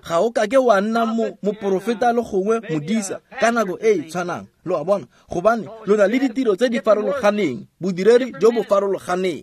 Ga o ka ke wa nna moporofeta le gongwe modisa ka nako e e tshwanang. Lo a bona? Gobane lo na le ditiro tse di farologaneng, bodiredi jo bo farologaneng.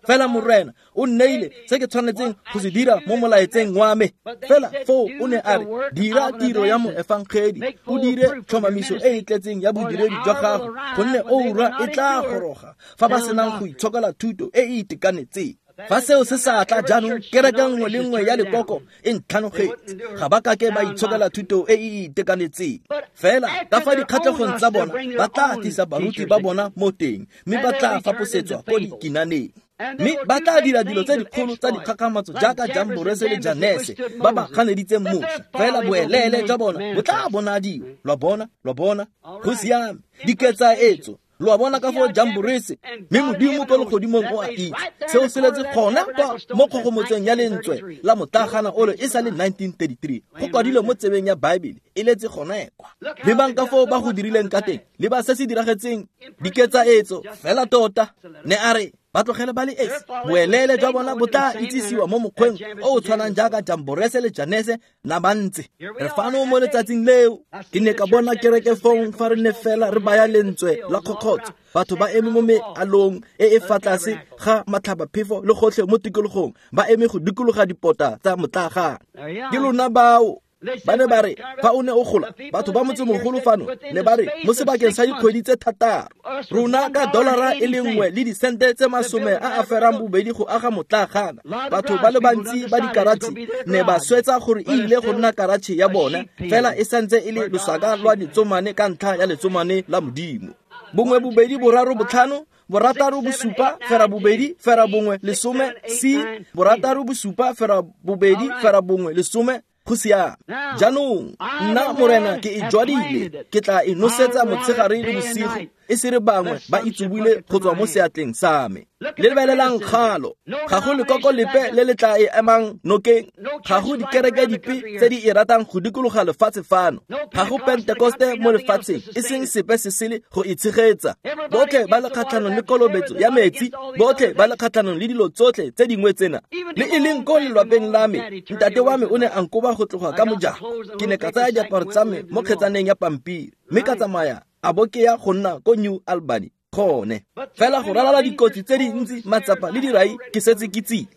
Fela Morena o nneile se ke tshwanetseng go se dira mo molaetseng wa me. Fela foo o ne a re, dira tiro ya moefangedi, o dire tlhomamiso e e tletseng ya bodiredi jwa gago, gonne oura e tla goroga fa ba senang go itshokela thuto e e itekanetseng. Fa seo se sa tla jaanong, kereke nngwe le nngwe ya lekoko e ntlhanogetse. Ga ba kake ba itshokela thuto e e itekanetseng. Fela ka fa dikgatlhegong tsa bona, ba tla tlisa baruti ba bona mo teng, mme ba tla faposetswa ko dikinaneng. Mme ba tla dira dilo tse dikgolo tsa dikgakgamatso jaaka Jamborese le Janese ba ba ganeditseng Moshe. Fela boeleele jwa bona bo tla bonadiwa. Lwa bona, lwa bona, go siame. Diketsaetso, lo a bona ka foo Jamborese, mme Modimo ko legodimong o a itse. Seo se letse gona kwa mo kgogomotsong ya lentswe la motlagana ole e sa le 1933. Go kwadilwe mo tsebeng ya Baebele, e letse gona kwa. Lebang ka foo ba go dirileng ka teng, le ba se se diragetseng, diketsaetso fela tota. Ne a re ba tlogele ba le esi, boeleele jwa bona bo tla itsisiwa mo mokgweng o o tshwanang jaaka Jamborese le Janese na ba ntse. Re fano mo letsatsing leo. Ke ne ka bona kereke fong fa re ne fela re baya lentswe la kgokgotso. Batho ba eme mo mealong e e fa tlase ga matlhabaphefo le gotlhe mo tikologong, ba eme go dikologa dipota tsa motlagana. Ke lona bao. Ba ne ba re fa o ne o gola, batho ba motsemogolo fano ne ba re mo sebakeng sa dikgwedi tse 6, rona ka $1 le disente tse 82 go aga motlagana. Batho ba le bantsi ba dikaratšhe ne ba swetsa gore e ile go nna karatšhe ya bona, fela e santse e le losaka lwa letsomane ka ntlha ya letsomane la Modimo. 1 2 3 5 6 7 8 9 0 1 10 C 6 7 8 2 0 1 10. Go siame. Jaanong nna Morena ke e jwadile, ke tla e nosetsa motshegare le bosigo, e se re bangwe ba itsubule go tswa mo seatleng sa me. Lebelelang kgalo, ga go lekoko lepe le le tla e emang nokeng, ga go dikereke dipe tse di e ratang go dikologa lefatshe fano, ga go Pentekoste mo lefatsheng, e seng sepe se sele go e tshegetsa. Botlhe ba le kgatlhanong le kolobetso ya metsi, botlhe ba le kgatlhanong le dilo tsotlhe tse dingwe tsena. Le e leng ko lelwapeng la me, ntate wa me o ne a nkoba go tloga ka mojako. Ke ne ka tsaya diaparo tsa me mo kgetsaneng ya pampiri, mme ka tsamaya a bo ke ya go nna ko New Albany gone. Fela go ralala dikotsi tse dintsi, matsapa le dirai, ke setse ke tsile.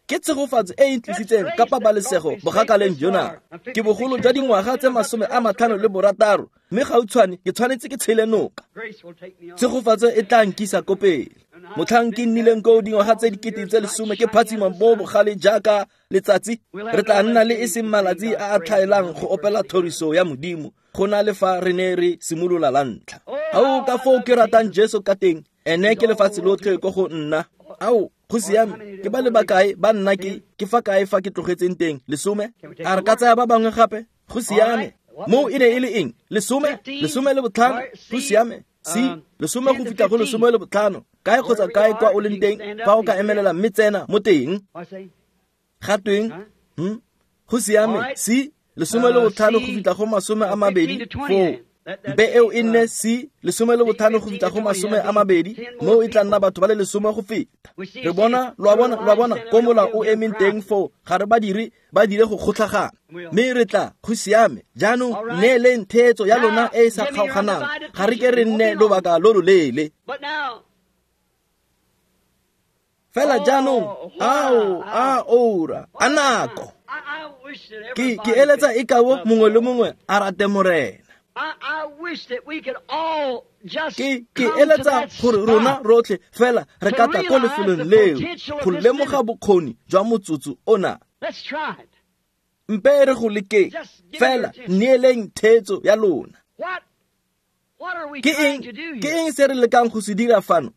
Ke tshegofatso e e ntlisitseng ka pabalesego bogakaleng jona. Ke bogolo jwa dingwaga tse 56, mme gautshwane ke tshwanetse ke tshele noka. Tshegofatso e tla nkisa ko pele. Motlhang ke nnileng koo dingwaga tse 10,000 ke phatsima mo bogale jaaka letsatsi, re tla nna le e seng malatsi a a tlhaelang go opela thoriso ya Modimo go na le fa re ne re simolola la ntlha. Ao ka foo ke ratang Jesu ka teng, ene ke lefatshe lotlhe ko go nna. Ao, go siame, ke ba le bakae ba nna ke fa kae fa ke tlogetseng teng? 10? A re ka tsaya ba bangwe gape? Go siame. Moo e ne e le eng? 10, 15, go siame. C 10 go fitlha go 15. Kae kgotsa kae kwa o leng teng, fa o ka emelela mme tsena mo teng. Ga tweng? Go siame. C 15 go fitlha go 20 foo. Mpe eo e nne C 15 go fitlha go 20, moo e tla nna batho ba le 10 go feta. Re bona, lo a bona, ko mola o emeng teng foo, ga re ba dire, ba dire go kgotlhagana. Mme re tla, go siame. Jaanong neeleng theetso ya lona e e sa kgaoganang, ga re ke re nne lobaka lo loleele. Fela jaanong, ao, a ora, a nako. Ke eletsa e kao mongwe le mongwe a rate Morena. Ke eletsa gore rona rotlhe fela re ka tla ko lefelong leo go lemoga bokgoni jwa motsotso ona. Mpe re go lekeng, fela neeleng theetso ya lona. Ke eng se re lekang go se dira fano?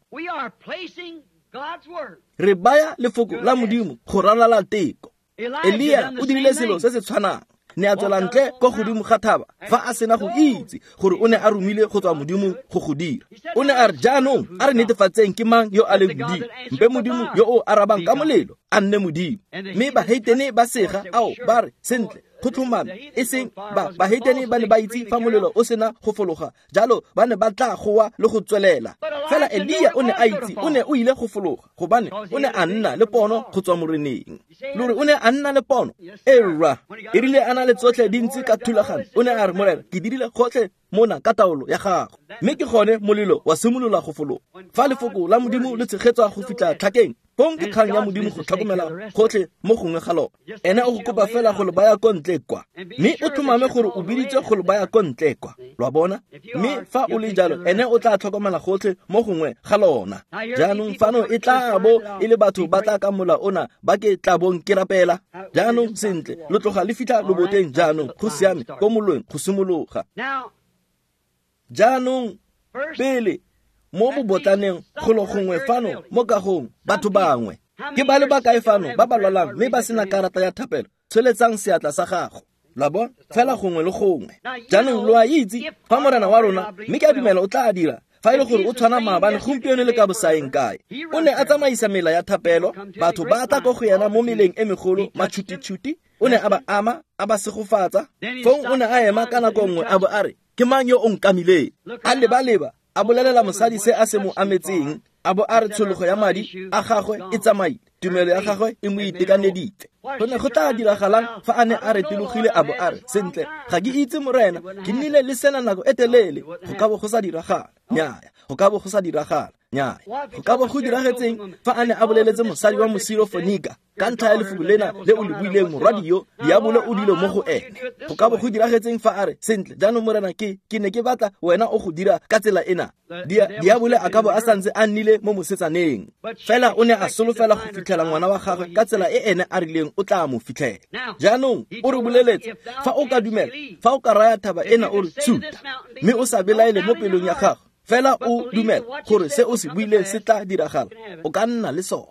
Re baya lefoko la Modimo go ralala teko. Elia o dirile selo se se tshwanang. Ne a tswela ntle ko godimo ga thaba fa a sena go itse gore o ne a romile go tswa Modimo go go dira. O ne a re jaanong a re netefatseng ke mang yo a leng Modimo. Mpe Modimo yo o arabang ka molelo a nne Modimo. Mme baheitene ba sega, ao ba re sentle, go tlhomame, e seng ba baheitene ba ne ba itse fa molelo o sena go fologa, jalo ba ne ba tla goa le go tswelela. Fela Elia o ne a itse o ne o ile go fologa, gobane o ne a nna le pono go tswa Moreneng. Lore o ne a nna le pono. Erra, e rile a na le tsotlhe dintsi ka thulagano, o ne a re Morena, ke dirile gotlhe mona ka taolo ya gago. Mme ke gone molelo wa simolola go fologa. Fa lefoko la Modimo le tshegetswa go fitlha tlhakeng, Fong ke kgang ya Modimo go tlhokomela gotlhe mo gongwe ga lona. Ene o go kopa fela go le baya ko ntle kwa, mme o tlhomame gore o biditswe go le baya ko ntle kwa. Lo a bona? Mme fa o le jalo, ene o tla tlhokomela gotlhe mo gongwe ga lona. Jaanong fano e tla bo e le batho ba tla ka mola ona ba ke tla bong ke rapela. Jaanong sentle, lo tloga le fitlha loboteng jaanong, go siame ko molweng go simologa. Jaanong pele mo bobotlaneng golo gongwe fano mo kagong batho bangwe ke ba le bakae fano ba ba lwalang mme ba sena karata ya thapelo, tsholetsang seatla sa gago. Lo a bona? Fela gongwe le gongwe. Jaanong lo a itse fa Morena wa rona, mme ke a dumela o tla dira, fa e le gore o tshwana maabane gompieno le ka bosaeng kae. O ne a tsamaisa mela ya thapelo, batho ba tla ko go yena mo meleng e megolo matšhutitšhuti, o ne a ba ama, a ba segofatsa. Fong o ne a ema ka nako nngwe a bo a re, ke mang yo o nkamileng? A leba-leba, a bolelela mosadi se a se mo ametseng, a bo a re tshologo ya madi a gagwe e tsamaile, tumelo ya gagwe e mo itekaneditse. Go ne go tla diragalang fa a ne a retologile a bo a re, sentle, ga ke itse Morena, ke nnile le sena nako e telele. Go ka bo go sa diragala. Nnyaya, go ka bo go sa diragala. Nnyaya, go ka bo go diragetseng fa a ne a boleletse mosadi wa Mosirofonika ka ntlha ya lefoko lena le o le buileng, morwadi yo diabolo o dilo mo go ene. Go ka bo go diragetseng fa a re, sentle, jaanong Morena, ke ne ke batla wena o go dira ka tsela ena. Diabolo a ka bo a santse a nnile mo mosetsaneng. Fela o ne a solofela go fitlhela ngwana wa gagwe ka tsela e ene a rileng o tla mo fitlhela. Jaanong o re boleletse, fa o ka dumela, fa o ka raya thaba ena o re tshuta, mme o sa belaele mo pelong ya gago, fela o dumela gore se o se buileng se tla diragala, o ka nna le sone.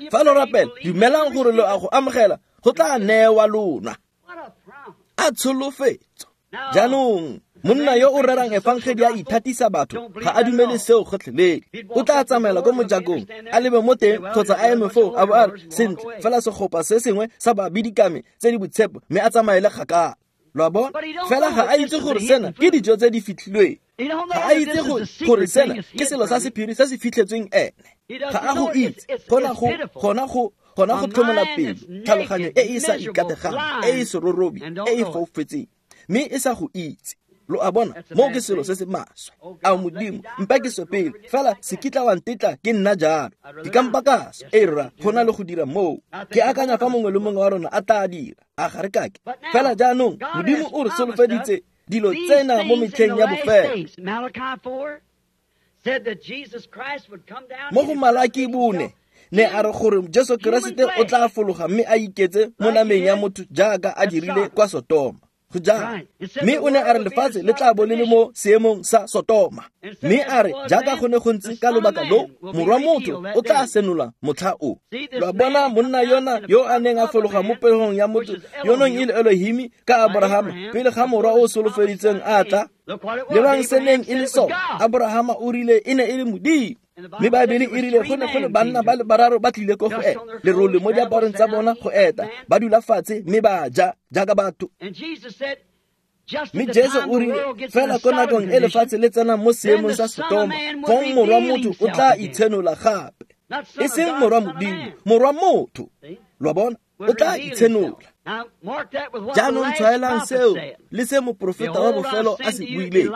Fa lo rapela, dumelang gore lo a go amogela, go tla newa lona. A tsholofetso. Jaanong monna yo o rerang efangedi a ithatisa batho ga a dumele seo gotlhelele. O tla tsamaela ko mojakong, a lebe mo teng kgotsa a eme foo a bo a re, sentle, fela segopa se sengwe sa babidikame tse di boitshepo, mme a tsamaele kgakala. Lo a bona? Fela ga a itse gore sena ke dijo tse di fitlhilweng. Ga a itse gore sena ke selo sa sephiri se se fitlhetsweng ene. Ga a go itse. Gona go tlhomola pelo, tlhaloganyo e e sa ikategang, e e serorobi, e e foufetseng, mme e sa go itse. Lo a bona? Moo ke selo se se maswe. A Modimo, mpa ke swe pele, fela se kitla wa ntetla ke nna jalo. Ke kampa ka swa, e rra, go na le go dira moo. Ke akanya fa mongwe le mongwe wa rona a tla dira, a ga re kake. Fela jaanong Modimo o re solofeditse dilo tsena mo metlheng ya bofelo. Mo go Malaki 4, ne a re gore Jesu Keresete o tla fologa mme a iketse mo nameng ya motho jaaka a dirile kwa Sotoma. Go jalo. Mme o ne a re lefatshe le tla bo le le mo seemong sa Sotoma. Mme a re jaaka go ne go ntse ka lobaka lo, morwa motho o tla senola motlha o. Lo a bona monna yona yo a neng a fologa mo pegong ya motho yo nong e le Elohimi ka Abrahama pele ga morwa o solofeditseng a tla. Lebang se neng e le sone. Abrahama o rile e ne e le Modimo. Mme Baebele e rile go ne go le banna ba le bararo ba tlile ko go ena, lerole mo diaparong tsa bona go eta, ba dula fatshe mme ba ja jaaka batho. Mme Jesu o rile fela ko nakong e lefatshe le tsenang mo seemong sa Sotoma, fong morwa motho o tla itshenola gape. E seng morwa Modimo, morwa motho. Lo a bona? O tla itshenola. Jaanong tshwaelang seo le se moprofeta wa bofelo a se buileng.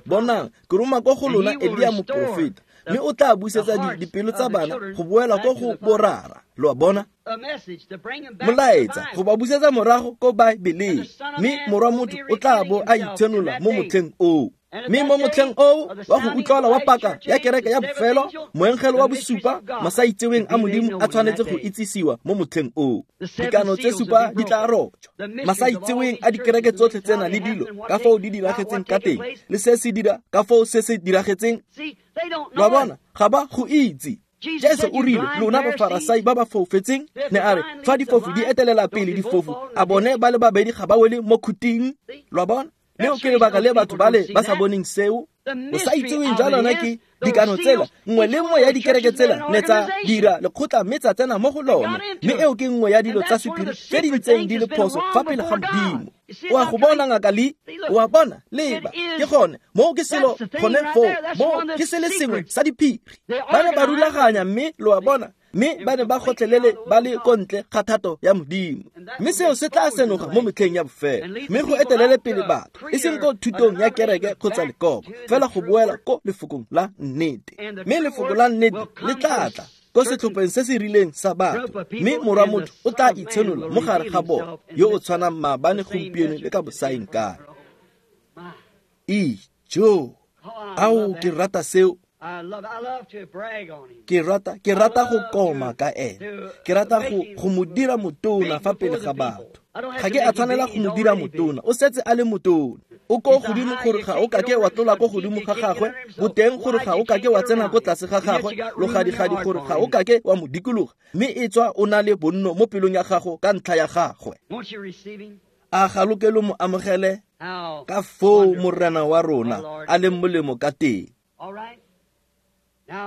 Bonang, ke roma ko go lona Elia moprofeta, mme o tla busetsa dipelo tsa bana go boela ko go borara. Lo a bona? Molaetsa go ba busetsa morago ko Baebeleng, mme morwa motho o tla bo a itshenola mo motlheng oo. Mme mo motlheng oo wa go utlwala wa paka ya kereke ya bofelo, moengele wa bosupa, masaitseweng a Modimo a tshwanetse go itsisiwa mo motlheng oo. Dikano tse supa di tla rojwa. Masaitseweng a dikereke tsotlhe tsena le dilo ka foo di diragetseng ka teng, le se se dira ka foo se se diragetseng. Lo a bona? Ga ba go itse. Jesu o rile, lona bafarasai ba ba foufetseng, ne a re, fa difofu di etelela pele difofu, a bone ba le babedi ga ba wele mo khuting. Lo a bona? Leo ke lebaka le batho ba le ba sa boneng seo. O sa itseweng jwa lona ke dikano tsela, nngwe le nngwe ya dikereke tsela ne tsa dira lekgotla mme tsa tsena mo go lone, mme eo ke nngwe ya dilo tsa sephiri tse di ntseng di le phoso fa pele ga Modimo. O a go bona ngaka Lee? O a bona? Leba, ke gone moo ke selo gone foo, moo ke se le sengwe sa diphiri. Ba ne ba rulaganya mme lo a bona, mme ba ne ba gotlhelele ba le ko ntle ga thato ya Modimo. Mme seo se tla senoga mo metlheng ya bofelo, mme go etelele pele batho, e seng ko thutong ya kereke kgotsa lekoko, fela go boela ko lefokong la nnete. Mme lefoko la nnete le tla tla ko setlhopheng se se rileng sa batho, mme morwa motho o tla itshenola mo gare ga bona, yo o tshwanang maabane, gompieno le ka bosaeng kae. Ijo, ao ke rata seo. Ke rata go koma ka ene. Ke rata go mo dira motona fa pele ga batho. Ga ke a tshwanela go mo dira motona, o setse a le motona. O ko godimo gore ga o kake wa tlola ko godimo ga gagwe, boteng gore ga o kake wa tsena ko tlase ga gagwe, logadigadi gore ga o kake wa mo dikologa, mme e tswa o na le bonno mo pelong ya gago ka ntlha ya gagwe. A ga lo ke lo mo amogele ka foo Morena wa rona a leng molemo ka teng.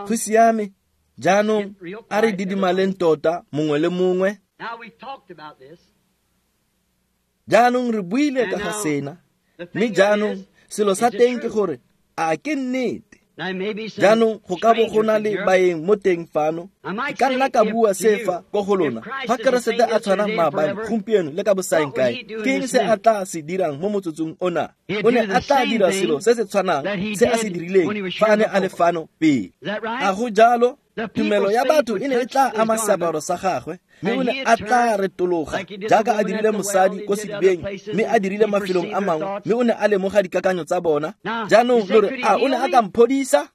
Go siame, jaanong a re didimaleng tota mongwe le mongwe. Jaanong re buile ka ga sena, mme jaanong selo sa teng ke gore a ke nnete. Jaanong go ka bo go na le baeng mo teng fano. Ke ka nna ka bua se fa ko go lona, fa Keresete a tshwana maabane, gompieno le ka bosaeng kae, ke eng se a tla se dirang mo motsotsong ona? O ne a tla dira selo se se tshwanang se a se dirileng fa a ne a le fano pele. A go jalo? Tumelo ya batho e ne e tla ama seaparo sa gagwe, mme o ne a tla retologa jaaka a dirile mosadi ko sedibeng, mme a dirile mafelong a mangwe, mme o ne a lemoga dikakanyo tsa bona. Jaanong lo re, a o ne a ka mphodisa?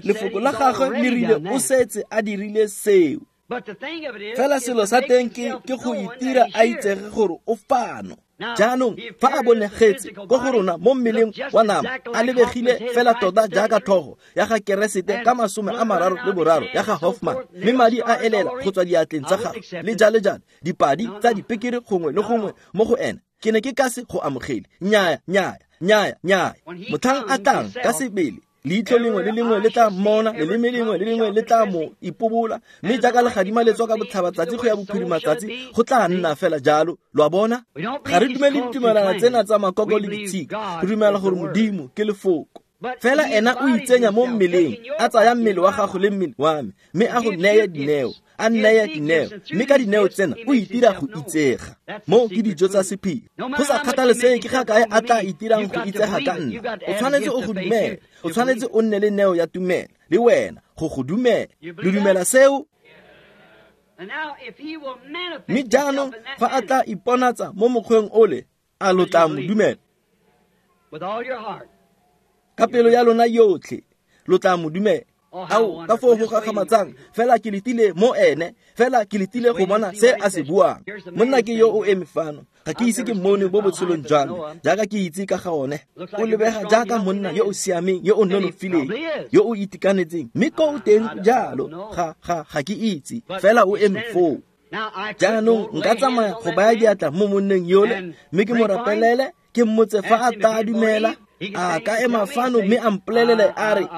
Lefoko la gagwe le rile o setse a dirile seo. Fela selo sa teng ke go itira a itsege gore o fano. Jaanong fa a bonegetse ko go rona mo mmeleng wa nama, a lebegile fela tota jaaka tlhogo ya ga Keresete ka 33 ya ga Hoffman, mme madi a elela go tswa diatleng tsa gagwe le jale jale, dipadi tsa dipekere gongwe le gongwe mo go ene. Ke ne ke ka se go amogele. Nnyaya, nnyaya, nnyaya, nnyaya. Motlhang a tlang ka sebele, leitlho lengwe le lengwe le tla mmona, leleme lengwe le lengwe le tla mo ipobola, mme jaaka legadima le tswa ka botlhabatsatsi go ya bophirimatsatsi, go tla nna fela jalo. Lo a bona? Ga re dumele ditumelana tsena tsa makoko le ditshika, re dumela gore Modimo ke lefoko. Fela ena o itsenya mo mmeleng, a tsaya mmele wa gago le mmele wa me, mme a go neye dineo, a nneye dineo, mme ka dineo tsena o itira go itsega. Mo ke dijo tsa sephiri. Go sa kgathalesege ke ga kae a tla itirang go itsega ka nna, o tshwanetse o go dumela, o tshwanetse o nne le neo ya tumelo le wena go go dumela. Lo dumela seo? Mme jaanong fa a tla iponatsa mo mokgweng ole, a lo tla mo dumela ka pelo ya lona yotlhe? Lo tla mo dumela. Ao, ka foo go gakgamatsang, fela ke letile mo ene, fela ke letile go bona se a se buang. Monna ke yo o eme fano, ga ke ise ke mmone mo botshelong jwa me, jaaka ke itse ka ga one. O lebega jaaka monna yo o siameng, yo o nonofileng, yo o itekanetseng, mme ko o teng jalo, ga ke itse, fela o eme foo. Jaanong nka tsamaya go baya diatla mo monneng yole, mme ke mo rapelele, ke mmotse fa a tla dumela. A ka ema fano mme a mpolelele a re,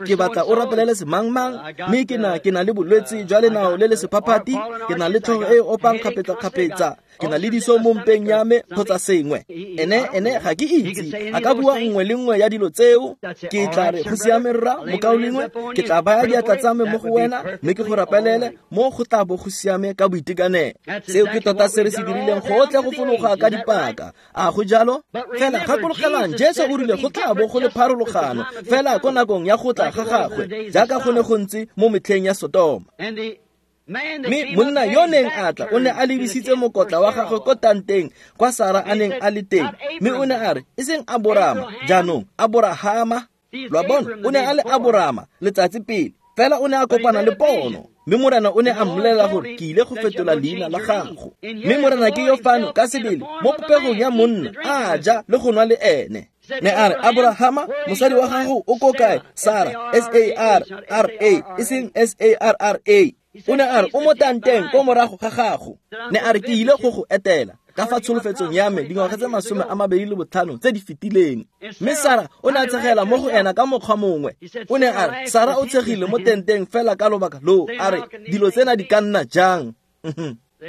ke batla o rapelele semangmang, mme ke na le bolwetse jwa lenao le le sephaphathi, ke na le tlhogo e opang kgapetsa-kgapetsa, ke na le diso mo mpeng ya me kgotsa sengwe. Ene ga ke itse, a ka bua nngwe le nngwe ya dilo tseo. Ke tla re, go siame rra, mokaulengwe, ke tla baya diatla tsa me mo go wena, mme ke go rapelele, mo go tla bo go siame ka boitekanelo. Seo ke tota se re se dirileng gotlhe go fologa ka dipaka. A go jalo? Fela gakologelang, Jesu o rile go tla bo go le pharologano fela ko nakong ya go tla ga gagwe, jaaka go ne go ntse mo metlheng ya Sodoma. Mme monna yo neng a tla o ne a lebisitse mokotla wa gagwe ko tanteng kwa Sara a neng a le teng, mme o ne a re, e seng Aborama, jaanong Aborahama. Lo a bona, o ne a le Aborama letsatsi pele, fela o ne a kopana le pono, mme Morena o ne a mmolelela gore ke ile go fetola leina la gago. Mme Morena ke yo fano ka sebele mo popegong ya monna, a ja le go nwa le ene. Ne a re, Aborahama, mosadi wa gago o ko kae? Sara, S-A-R-R-A, e seng S-A-R-R-A. O ne a re, o mo tanteng ko morago ga gago. Ne a re, ke ile go go etela ka fa tsholofetsong ya me dingwaga tse 25 tse di fetileng. Mme Sara o ne a tshegela mo go ena ka mokgwa mongwe. O ne a re, Sara o tshegile mo tenteng fela ka lobaka loo, a re, dilo tsena di ka nna jang?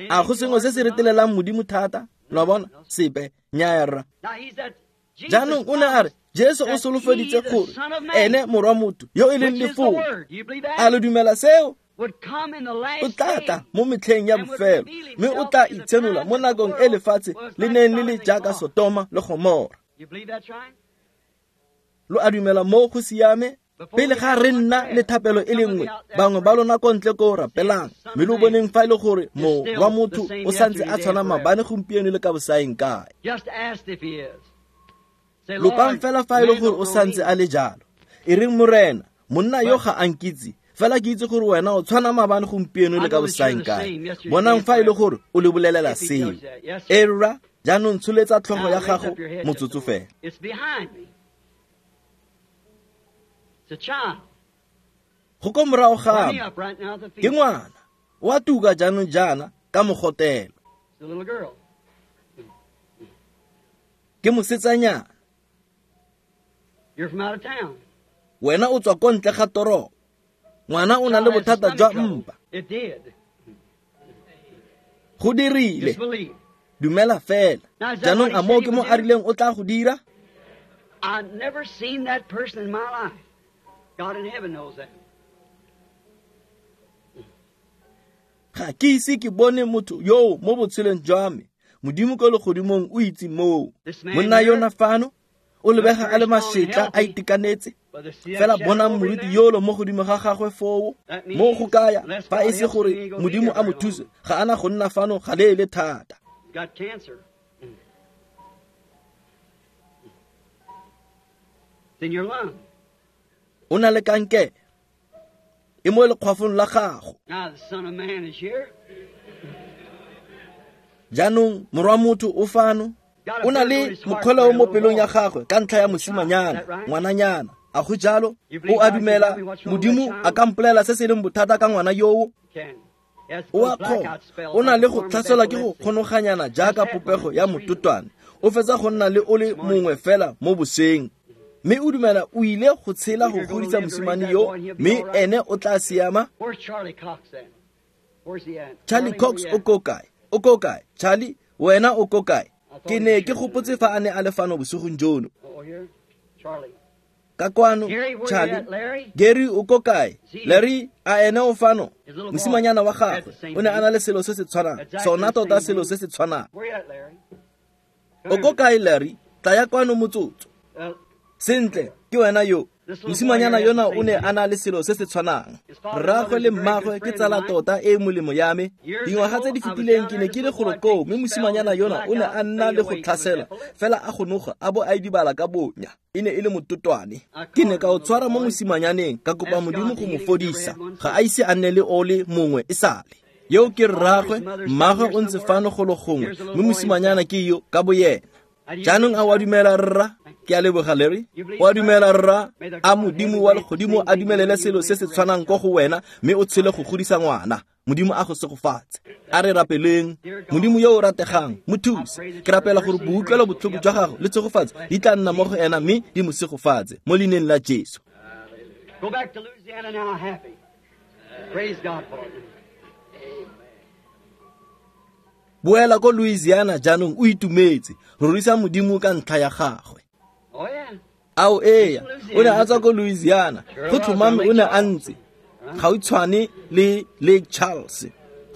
A go sengwe se se retelelang Modimo thata? Lo a bona? Sepe. Nnyaya rra. Jaanong o ne a re, Jesu o solofeditse gore ene morwa motho yo e leng lefoko. A lo dumela seo? O tla tla mo metlheng ya bofelo, mme o tla itshenola mo nakong e lefatshe le neng le le jaaka Sodoma le Gomora. Lo a dumela mo go siame? Pele ga re nna le thapelo e le nngwe, bangwe ba lona ko ntle ko rapelang, mme lo boneng fa e le gore morwa motho o santse a tshwana maabane, gompieno le ka bosaeng kae. Lopang fela fa e le gore o santse a le jalo. E reng, Morena, monna yo ga a nkitse, fela ke itse gore wena o tshwana maabane, gompieno le ka bosaeng kae. Bonang fa e le gore o le bolelela seo. E rra, jaanong tsholetsa tlhogo ya gago motsotso fela. Go ko morago ga me, ke ngwana, o a tuka jaanong jaana ka mogotelo. Ke mosetsanyana. Wena o tswa ko ntle ga toropo. Ngwana o na le bothata jwa mpa. Go dirile. Dumela fela. Jaanong a moo ke mo a rileng o tla go dira?
I've never seen that person in my life. God in heaven knows that.
Ga ke ise ke bone motho yoo mo botshelong jwa me. Modimo ko legodimong o itse moo. Monna yona fano o lebega a le mašetla, a itekanetse. Fela bonang moruti yolo mo godimo ga gagwe foo. Mo go kaya fa e se gore Modimo a mo thuse, ga ana go nna fano ga leele thata.
Got cancer. It's in your lung.
O na le kankere. E mo lekgwafong la gago.
Now the Son of Man is here.
Jaanong morwa motho o fano. O na le mokgweleo mo pelong ya gagwe ka ntlha ya mosimanyana, ngwananyana. A go jalo? O a dumela Modimo a ka mpolela se se leng bothata ka ngwana yoo? O a kgona. O na le go tlhaselwa ke go kgonoganyana jaaka popego ya mototwane. O fetsa go nna le o le mongwe fela mo boseng. Mme o dumela o ile go tshela go godisa mosimane yo, mme ene o tla siama. Charlie Cox o ko kae? O ko kae? Charlie, wena o ko kae? Ke ne ke gopotse fa a ne a le fano bosigong jono. Ka kwano, Charlie. Gary o ko kae? Larry, a ene o fano? Mosimanyana wa gagwe o ne a na le selo se se tshwanang, sona tota selo se se tshwanang. O ko kae, Larry? Tlaya kwano motsotso. Sentle, ke wena yo. Mosimanyana yona o ne a na le selo se se tshwanang. Rraagwe le mmagwe ke tsala tota e molemo ya me. Dingwaga tse di fetileng ke ne ke le golo koo, mme mosimanyana yona o ne a nna le go tlhasela, fela a gonoga a bo a idibala ka bonya. E ne e le mototwane. Ke ne ka o tshwara mo mosimanyaneng, ka kopa Modimo go mo fodisa. Ga a ise a nne le ole mongwe e sale. Yo ke rraagwe, mmagwe o ntse fano golo gongwe, mme mosimanyana ke yo ka boyena. Jaanong a wa dumela rra? Ke a leboga, Larry. O a dumela rra? A Modimo wa legodimo a dumelele selo se se tshwanang ko go wena, mme o tshele go godisa ngwana. Modimo a go segofatse. A re rapeleng. Modimo yo o rategang, mo thuse. Ke rapela gore boutlwelo botlhoko jwa gago le tshegofatso di tla nna mo go ena, mme di mo segofatse mo leineng la Jesu.
Go back to Louisiana now happy. Praise God for it.
Boela ko Louisiana jaanong o itumetse. Rorisa Modimo ka ntlha ya gagwe.
Oh yeah.
Ao eya, o ne a tswa ko Louisiana. Go tlhomame o ne a ntse gautshwane le Lake Charles.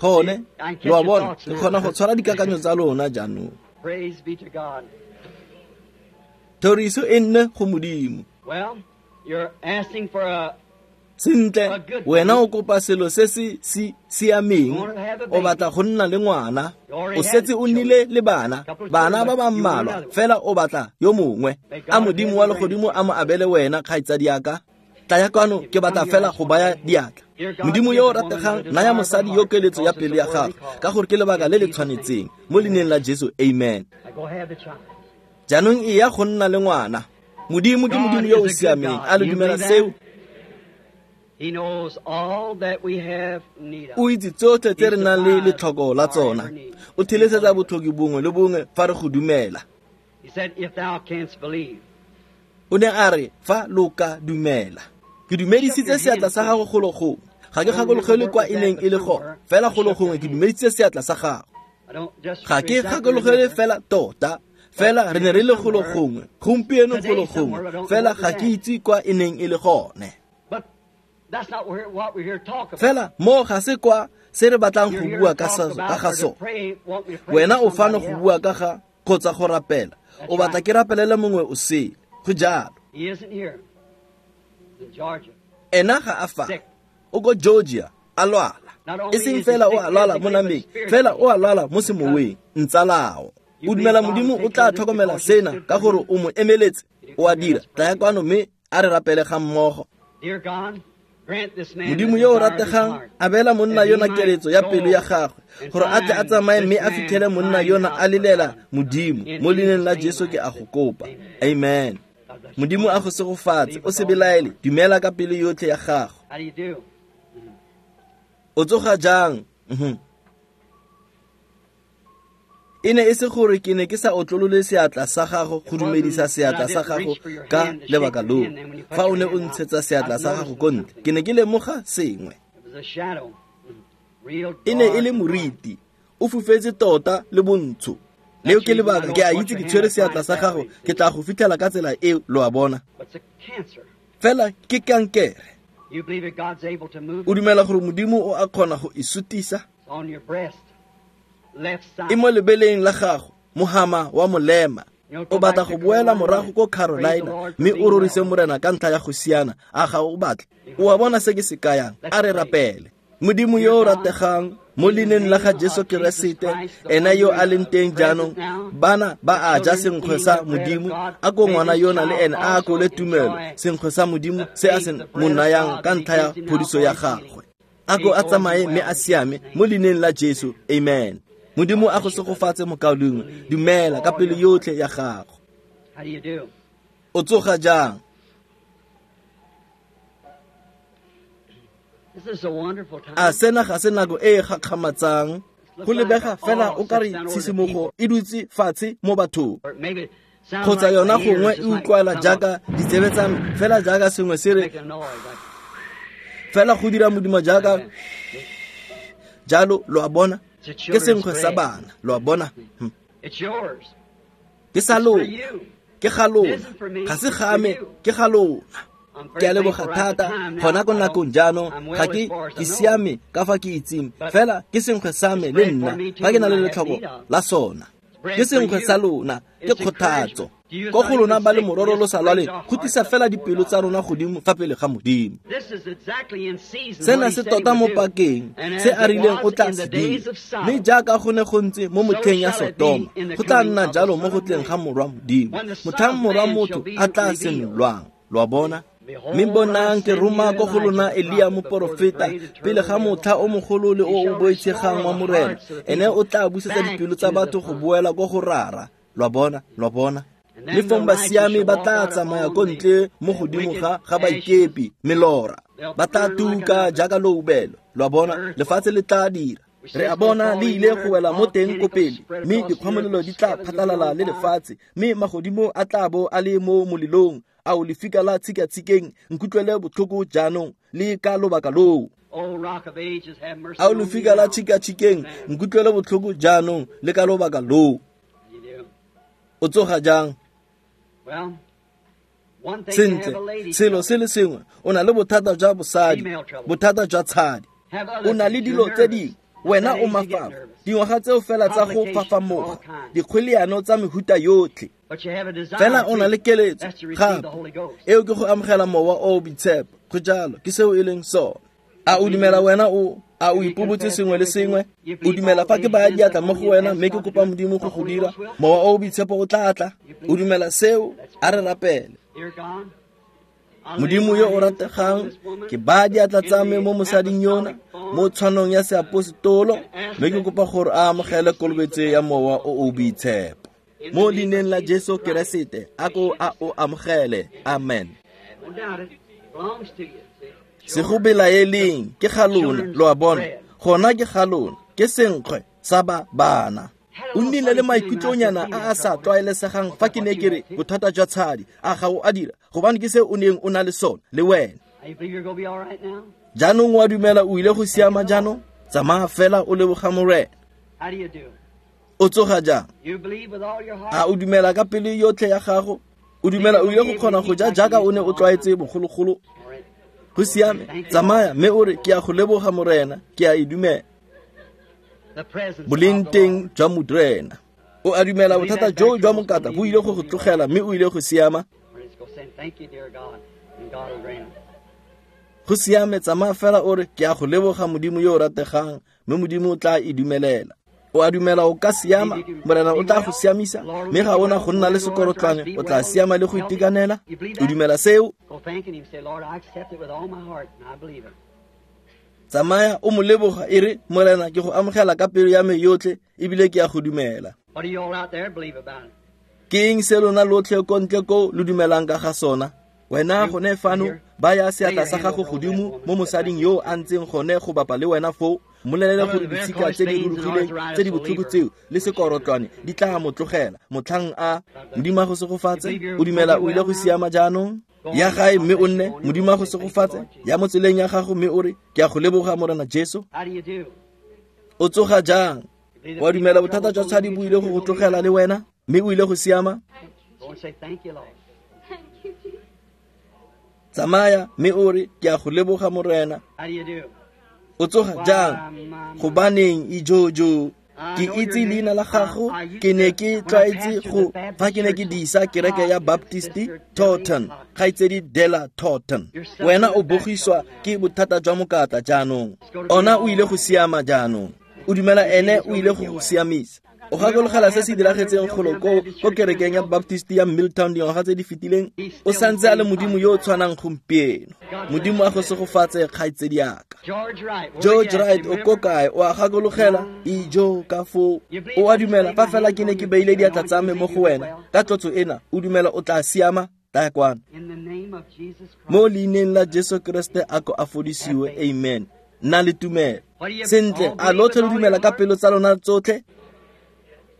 Gone, lo a bona, ke kgona go tshwara dikakanyo tsa lona jaanong.
Praise be to God.
Thoriso e nne go Modimo.
Well, you're asking for a
Sentle, wena o kopa selo se se siameng. O batla go nna le ngwana. O setse o nnile le bana, bana ba ba mmalwa, fela o batla yo mongwe. A Modimo wa legodimo a mo abele wena, kgaitsadi ya ka. Tlaya kwano, ke batla fela go baya diatla. Modimo yo o rategang, naya mosadi yo keletso ya pelo ya gagwe, ka gore ke lebaka le le tshwanetseng. Mo leineng la Jesu, amen. Jaanong e ya go nna le ngwana. Modimo ke Modimo yo o siameng. A le dumela seo?
He knows all that we have need of.
O itse tsotlhe tse re nang le letlhoko la tsona. O thelesetsa botlhoki bongwe le bongwe fa re go dumela.
He said, if thou canst believe.
O ne a re, fa lo ka dumela. Ke dumedisitse seatla sa gago golo gongwe. Ga ke gakologele kwa e neng e le gone, fela golo gongwe ke dumedisitse seatla sa gago. Ga ke gakologele fela tota, fela re ne re le golo gongwe, gompieno golo gongwe, fela ga ke itse kwa e neng e le gone.
That's not what we're here to talk about.
Fela mo ga se kwa se re batlang go bua ka ga sone. Wena o fano go bua ka ga kgotsa go rapela. O batla ke rapelele mongwe o sele. Go jalo.
He isn't here.
Ena ga a fa, o ko Georgia, a lwala. E seng fela o a lwala mo nameng, fela o a lwala mo semoweng, ntsalao. O dumela Modimo o tla tlhokomela sena ka gore o mo emeletse, o a dira. Tlaya kwano mme a re rapele ga mmogo. Modimo yo o rategang, abela monna yona keletso ya pelo ya gagwe, gore a tle a tsamaye mme a fitlhele monna yona a lelela Modimo. Mo leineng la Jesu ke a go kopa. Amen. Modimo a go segofatse, o se belaele, dumela ka pelo yotlhe ya gago. O tsoga jang? E ne e se gore ke ne ke sa otlolole seatla sa gago go dumedisa seatla sa gago ka lebaka loo. Fa o ne o ntshetsa seatla sa gago ko ntle, ke ne ke lemoga sengwe. E ne e le moriti, o fufetse tota le bontsho. Leo ke lebaka, ke a itse ke tshwere seatla sa gago, ke tla go fitlhela ka tsela eo, lo a bona. Fela ke kankere. O dumela gore Modimo o a kgona go e sutisa? E mo lebeleng la gago, mohama wa molema. O batla go boela morago ko Carolina mme o rorise Morena ka ntlha ya go siana, a ga o batle? O a bona se ke se kayang? A re rapele. Modimo yo o rategang, mo leineng la ga Jesu Keresete, ena yo a leng teng jaanong, bana ba a ja senkgwe sa Modimo, a ko ngwana yona le ene a akole tumelo, senkgwe sa Modimo se a se mo nayang ka ntlha ya phodiso ya gagwe. A ko a tsamaye mme a siame mo leineng la Jesu. Amen. Modimo a go segofatse mokaulengwe, dumela ka pelo yotlhe ya gago. O tsoga jang? A sena ga se nako e e gakgamatsang? Go lebega fela o ka re tshisimogo e dutse fatshe mo bathong, kgotsa yona gongwe e utlwala jaaka ditsebe tsa me, fela jaaka sengwe se re fela go dira modimo jaaka jalo, lo a bona. Ke senkgwe sa bana, lo a bona. Ke sa lona, ke ga lona, ga se ga me, ke ga lona. Ke a leboga thata gona ko nakong jaanong, ga ke siame ka fa ke itseng, fela ke senkgwe sa me le nna fa ke na le letlhoko la sona. Ke senkgwe sa lona, ke kgothatso. Ko go lona ba le mororo lo sa lwaleng, go tlisa fela dipelo tsa rona godimo fa pele ga Modimo. Sena se tota mo pakeng, se a rileng o tla se dira. Mme jaaka go ne go ntse mo motlheng ya Sodoma, go tla nna jalo mo go tleng ga Morwa Modimo, motlhang Morwa motho a tla senolwang. Lo a bona? Mme bonang ke roma ko go lona Elia moporofeta pele ga motlha o mogolo le o o boitshegang wa Morena. Ene o tla busetsa dipelo tsa batho go boela ko go Rara. Lo a bona? Lo a bona? Le fong basiami ba tla tsamaya ko ntle mo godimo ga baikepi, melora. Ba tla tuka jaaka loubelo. Lo a bona? Lefatshe le tla dira. Re a bona le ile go wela mo teng ko pele, mme dikgwamolelo di tla phatlalala le lefatshe, mme magodimo a tla bo a le mo molelong. Ao lefika la tshikatshikeng, nkutlwele botlhoko jaanong le ka lobaka loo. Ao lefika la tshikatshikeng, nkutlwele botlhoko jaanong le ka lobaka loo. O tsoga jang? Sentle, selo se le sengwe, o na le bothata jwa bosadi, bothata jwa tshadi. O na le dilo tse dingwe, wena o mafafa, dingwaga tseo fela tsa go fafamoga, dikgweleano tsa mehuta yotlhe. Fela o na le keletso gape, eo ke go amogela mowa o o boitshepo. Go jalo, ke seo e leng sone. A o dumela wena o a o ipobotse sengwe le sengwe? O dumela fa ke baya diatla mo go wena mme ke kopa Modimo go go dira, mowa o o boitshepo o tla tla? O dumela seo? A re rapele. Modimo yo o rategang, ke baya diatla tsa me mo mosading yona mo tshwanong ya seapostolo, mme ke kopa gore a amogele kolobetso ya mowa o o boitshepo. Mo leineng la Jesu Keresete, a ko a o amogele. Amen. Se go belaeleng, ke ga lona, lo a bona. Gona ke ga lona, ke senkgwe sa ba bana. O nnile le maikutlonyana a a sa tlwaelesegang fa ke ne ke re bothata jwa tshadi, a ga o a dira, gobane ke se o neng o na le sone le wena. Jaanong wa dumela o ile go siama jaanong? Tsamaya fela o leboga Morena. O tsoga jang? A o dumela ka pelo yotlhe ya gago? O dumela o ile go kgona go ja jaaka o ne o tlwaetse bogologolo? Go siame, tsamaya mme o re ke a go leboga Morena, ke a e dumela. Boleng teng jwa Morena. O a dumela bothata jo jwa mokata bo ile go go tlogela mme o ile go siama?
And God will grant it.
Go siame, tsamaya fela o re ke a go leboga Modimo yo o rategang, mme Modimo o tla e dumelela. O a dumela o ka siama, Morena o tla go siamisa, mme ga ona go nna le sekorotlwane, o tla siama le go itekanela. O dumela seo?
Go thanking Him. Say, Lord, I accept it with all my heart, and I believe it.
Tsamaya o mo leboga e re Morena ke go amogela ka pelo ya me yotlhe ebile ke a go dumela.
What do you all out there believe about it?
Ke eng se lona lotlhe ko ntle ko lo dumelang ka ga sona? Wena gone fano, baya seatla sa gago godimo mo mosading yo a ntseng gone go bapa le wena foo, mmolelele gore ditshika tse di rurugileng tse di botlhoko tseo le sekorotlwane di tla mo tlogela motlhang a Modimo a go segofatse. O dumela o ile go siama jaanong? Ya gae mme o nne, Modimo a go segofatse. Ya mo tseleng ya gago mme o re ke a go leboga Morena Jesu.
How do you do?
O tsoga jang? Wa dumela bothata jwa tshadi bo ile go go tlogela le wena mme o ile go siama?
Go and say, thank you, Lord.
Thank you, Jesus.
Tsamaya mme o re ke a go leboga Morena.
How do you do?
O tsoga jang? Gobaneng ijojo? Ke itse leina la gago, ke ne ke tlwaetse go fa ke ne ke disa kereke ya Baptist Thornton, kgaitsedi Della Thornton. Wena o bogiswa ke bothata jwa mokata jaanong. Ona o ile go siama jaanong. O dumela ene o ile go go siamisa. O gakologela se se diragetseng golo ko kerekeng ya Baptist ya Milltown dingwaga tse di fetileng? O santse a le Modimo yo o tshwanang gompieno. Modimo a go segofatse kgaitsedi yaka.
George Wright.
George Wright o ko kae? O a gakologela? Ijo ka foo. O a dumela fa fela ke ne ke beile diatla tsa me mo go wena ka tlotso ena, o dumela o tla siama? Tla kwano.
In the name of Jesus Christ.
Mo leineng la Jesu Kriste a ko a fodisiwe. Amen. Nna le tumelo. Sentle, a lotlhe lo dumela ka pelo tsa lona tsotlhe?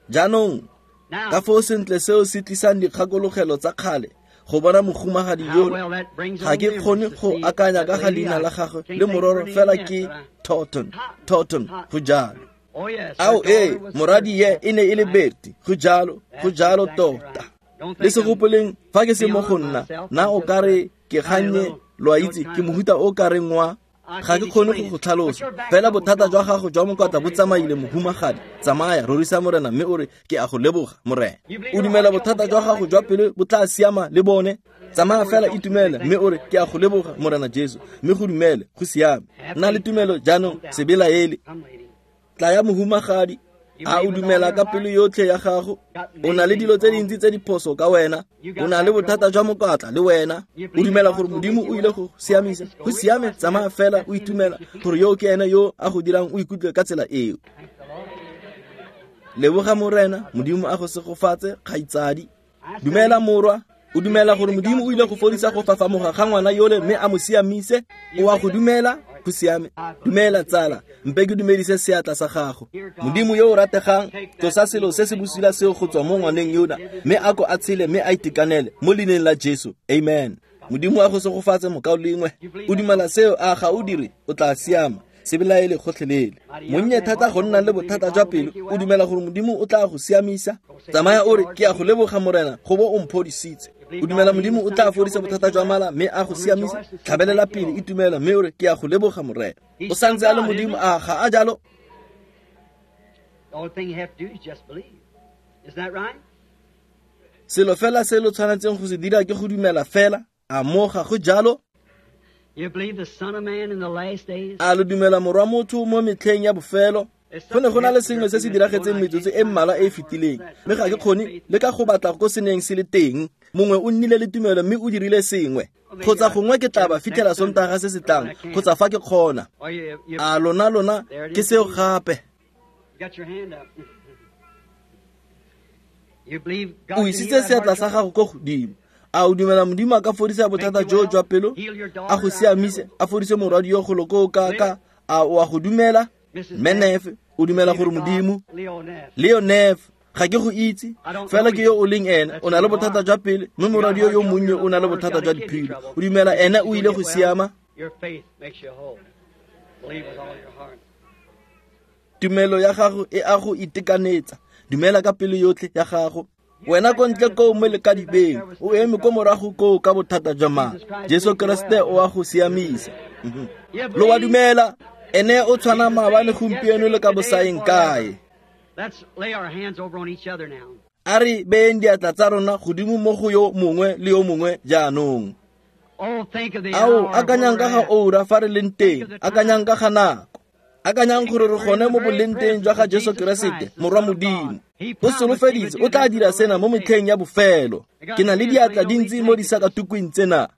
Jaanong,
Now,
ka foo sentle seo se tlisang dikgakologelo tsa kgale go bona mohumagadi
how
yola.
well that brings
Ga
on
ke
memories
kgone
to
go
see
akanya
that
ka ga
lady.
leina
I
la gagwe
can't
le
think
mororo
her name
fela
yet,
ke
but I-
Thornton. Thornton, go jalo.
Oh, yes. her
Ao ee,
daughter was
moradi ye
hurt.
e ne e le Betty. Go jalo, go
That's
jalo
exactly
tota.
right. Don't
Le
think
se
I'm
gopoleng fa ke se mo go
beyond
nna,
myself.
na
I'm
o
just
ka re ke
a
gannye,
little,
lo a
little
itse, ke
kind of
mohuta o ka reng wa
I
ga
can't
ke kgone
explain
go go
it. But
tlhalosa.
your back
Fela
trouble
bothata jwa
gone.
gago jwa mokotla bo
Okay, Lord.
tsamaile mohumagadi. Tsamaya, rorisa Morena mme o re ke a go leboga Morena.
You believe
O
your
dumela
heart trouble
bothata
be
jwa
all
gago
right
jwa
too?
pelo bo tla siama le bone? Tsamaya
Go
fela
rejoice and say
itumele mme
thank
o
you,
re
Lord.
ke a go leboga Morena Jesu, mme go dumele, go siame.
Have
Nna le
faith.
tumelo jaanong,
Don't doubt.
se belaele.
Come, lady.
Tla ya mohumagadi.
You
A
believe
o
with all
dumela
your
ka
heart?
pelo yotlhe ya gago?
Got
O
many
na le
things
dilo tse
wrong.
dintsi tse di phoso ka wena.
You
O
got
na le
back
bothata
trouble.
jwa mokatla le wena.
You
O
believe that
dumela
God's
gore
gonna make
Modimo
you
o ile
well?
go
All right,
siamisa.
just go
Go siame,
rejoice.
tsamaya
That's
fela
that's
o
Him that
itumela
makes you feel
gore yo ke ene yo a go dirang o ikutlwe ka tsela eo.
Thank the Lord.
Leboga Morena, Modimo a go segofatse kgaitsadi.
I
Dumela
say,
morwa, o
you
dumela
believe
gore
that
Modimo
God's
o ile
gonna
go
heal the
fodisa go
nervous system
fafamoga ga ngwana yole mme a mo siamise?
You
O a
believe
go
it?
dumela?
All right.
Go siame.
I believe
Dumela
it.
tsala, mpe ke dumedise seatla sa gago.
Dear God,
Modimo yo o rategang,
take that
tlosa selo
evil
se se
thing off
bosula
of
seo
that
go tswa mo
little
ngwaneng
lady.
yona,
Give it
mme
to
a ko a tshele mme a itekanele mo leineng la Jesu. Amen. Modimo a go segofatse mokaulengwe.
You believe
O
that?
dumela seo a ga o dire, o tla siama. Se belaele gotlhelele.
Mighty young
Monnye
man,
thata
heart
go nna
trouble.
le
You believe that
bothata
God
jwa
will
pelo,
make you
o
well?
dumela gore Modimo o tla go siamisa?
Go say,
Tsamaya
thank you,
o re
Lord
ke a go
Jesus.
leboga Morena go bo o mphodisitse.
You
O
believe
dumela
God will heal
Modimo
the
o tla
stomach
fodisa
trouble, make
bothata
you
jwa
well?
mala mme a go
Go
siamisa?
rejoice and say,
Tlhabelela
thank you,
pele
Lord.
itumela mme o re ke a go leboga Morena. O
He's still
santse a le
God, isn't
Modimo
he?
a ga a jalo?
The only thing you have to do is just believe. Isn't that right?
Selo fela se lo tshwanetseng go se dira ke go dumela fela. A mo ga go jalo?
You believe the Son of Man in the last days?
A lo dumela morwa motho mo metlheng ya bofelo?
There's
Go ne
something
go na le
happened here
sengwe
a
se
few
se
minutes ago,
diragetseng
and I
metsotso
can't
e
find
mmalwa e e
where it was
fetileng,
at.
mme ga
Somebody
ke
had
kgone
faith.
le ka go batla ko se neng se le teng. Mongwe o nnile le tumelo mme o dirile sengwe.
Or maybe
Kgotsa
I
gongwe ke tla ba
get it
fitlhela
next Sunday
Sontaga se se
or when
tlang,
I can.
kgotsa fa ke kgona.
Or you
A lona lona
there it
ke
is
seo
again.
gape.
You got your hand up. You believe
O
God can heal
isitse
that
seatla
heart
sa
trouble?
gago ko godimo. A o dumela Modimo a ka fodisa
Make
bothata
you
jo
well?
jwa pelo?
Heal your
A
daughter
go
out there
siamise,
with
a fodise morwadi yo golo ko ka
Believe
ka.
it?
A o a go dumela?
Mrs.
Mme
Neff,
Neff, o dumela
believe
gore
that God,
Modimo
Leo Neff.
Leo Neff, ga ke go itse,
I don't
fela
know
ke yo
you.
o leng ene.
That's
O na
who
le
you
bothata
are.
jwa pele, mme
You got
morwadi yo
heart
yo
trouble,
monnye
your
o na le
little daughter's
bothata
got
jwa
a kidney
diphilo.
trouble.
O dumela
You
ene
think
o
she's gonna
ile go
get well?
siama?
Your faith makes you whole. Believe with all your heart.
Tumelo ya gago e a go itekanetsa. Dumela ka pelo yotlhe ya gago. Wena ko ntle koo mo lekadibeng, o eme ko morago koo ka bothata jwa mala.
Jesus Christ
Jesu
made you
Kriste
well.
o a go siamisa.
You
Lo wa
believe?
dumela? Ene o
He's
tshwana
the
maabane
same
gompieno
yesterday,
le ka
today, and
bosaeng
forever.
kae.
Let's lay our hands over on each other now.
A re beyeng diatla tsa rona godimo mo go yo mongwe le yo mongwe jaanong. Ao, akanyang ka ga oura fa re leng teng, akanyang ka ga nako. Akanyang gore re gone mo boleng teng jwa ga Jesu Keresete, Morwa Modimo. O solofeditse o tla dira sena mo metlheng ya bofelo. Ke na le diatla dintsi mo disakatukwing tsena.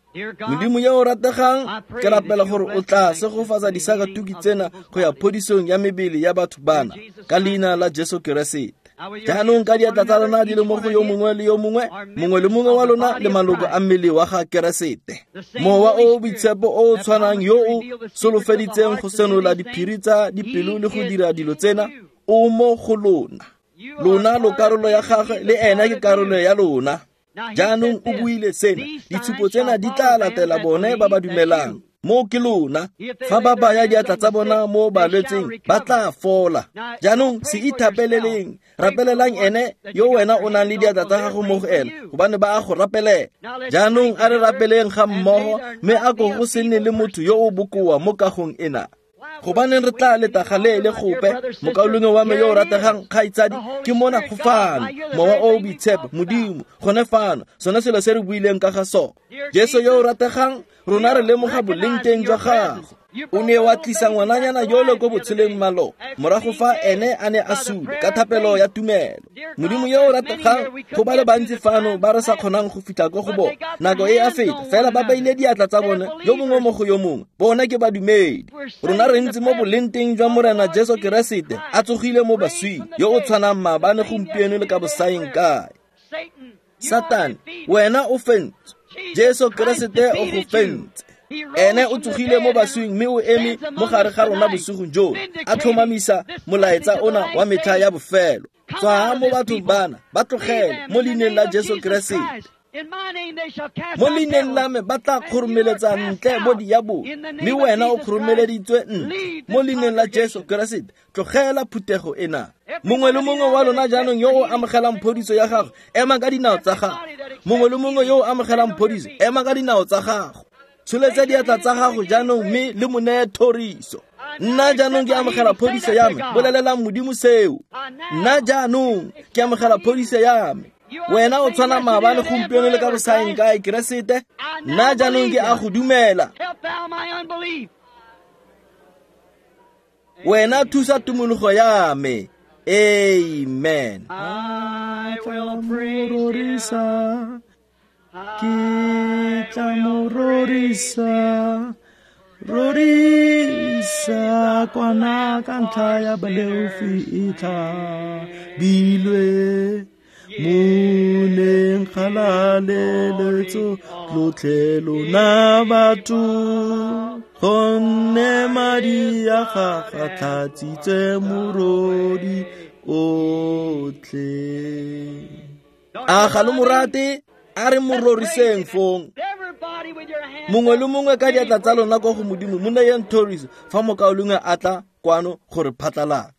Modimo yo o rategang, ke rapela gore o tla segofatsa disakatuki tsena go ya phodisong ya mebele ya batho bana, ka leina la Jesu Keresete. Jaanong ka diatla tsa lona di le mo go yo mongwe le yo mongwe, mongwe le mongwe wa lona le maloko a mmele wa ga Keresete. Mowa o o Boitshepo o o tshwanang yo o solofeditseng go senola diphiri tsa dipelo le go dira dilo tsena, o mo go lona. Lona lo karolo ya gagwe, le ena ke karolo ya lona. Jaanong o buile sena, ditshupo tsena di tla latela bone ba ba dumelang. Mo ke lona, fa ba baya diatla tsa bona mo balwetseng, ba tla fola. Jaanong se ithapeleleng, rapelelang ene yo wena o nang le diatla tsa gago mo go ena, gobane ba a go rapelela. Jaanong a re rapeleng ga mmogo, mme a ko go se nne le motho yo o bokoa mo kagong ena. Gobaneng re tla leta galeele gope, mokaulengwe wa me yo o rategang, kgaitsadi, ke mona go fano, Mowa o o Boitshepo, Modimo, gone fano, sone selo se re buileng ka ga sone. Jesu yo o rategang, rona re lemoga boleng teng jwa gago. O ne wa tlisa ngwananyana yole ko botsheleng malo, morago fa ene a ne a sule ka thapelo ya tumelo. Modimo yo o rategang, go ba le bantsi fano ba re sa kgonang go fitlha ko go bone. Nako e a feta, fela ba beile diatla tsa bone yo mongwe mo go yo mongwe. Bona ke badumedi. Rona re ntse mo boleng teng jwa Morena Jesu Keresete, a tsogile mo baswing, yo o tshwanang maabane, gompieno le ka bosaeng kae. Satane, wena o fentswe. Jesu Keresete o go fentse. Ene o tsogile mo baswing mme o eme mo gare ga rona bosigong jono, a tlhomamisa molaetsa ona wa metlha ya bofelo. Tswa mo bathong bana, ba tlogele mo leineng la Jesu Keresete. Mo leineng la me ba tla kgoromeletsa ntle bo diabolo, mme wena o kgoromeleditswe ntle mo leineng la Jesu Keresete. Tlogela phuthego ena. Mongwe le mongwe wa lona jaanong yo o amogelang phodiso ya gago, ema ka dinao tsa gago. Mongwe le mongwe yo o amogelang phodiso, ema ka dinao tsa gago. Tsholetsa diatla tsa gago jaanong mme le mo neye thoriso. Nna jaanong ke amogela phodiso ya me, bolelelang Modimo seo. Nna jaanong ke amogela phodiso ya me. Wena o tshwana maabane, gompieno le ka bosaeng kae, Keresete. Nna jaanong ke a go dumela. Wena thusa tumologo ya me. Amen.
I will
Rorisa, ke tla mo rorisa, rorisa kwana ka ntlha ya baleofi e tlhabilwe. Moneng kgalaleletso lotlhe lona batho, gonne madi a gagwe a tlhatsitse morodi otlhe.
A ga lo mo rate? A re mo roriseng fong. Mongwe le mongwe ka diatla tsa lona kwa go Modimo, mo neyeng thoriso fa mokaulengwe a tla kwano gore phatlalatsa.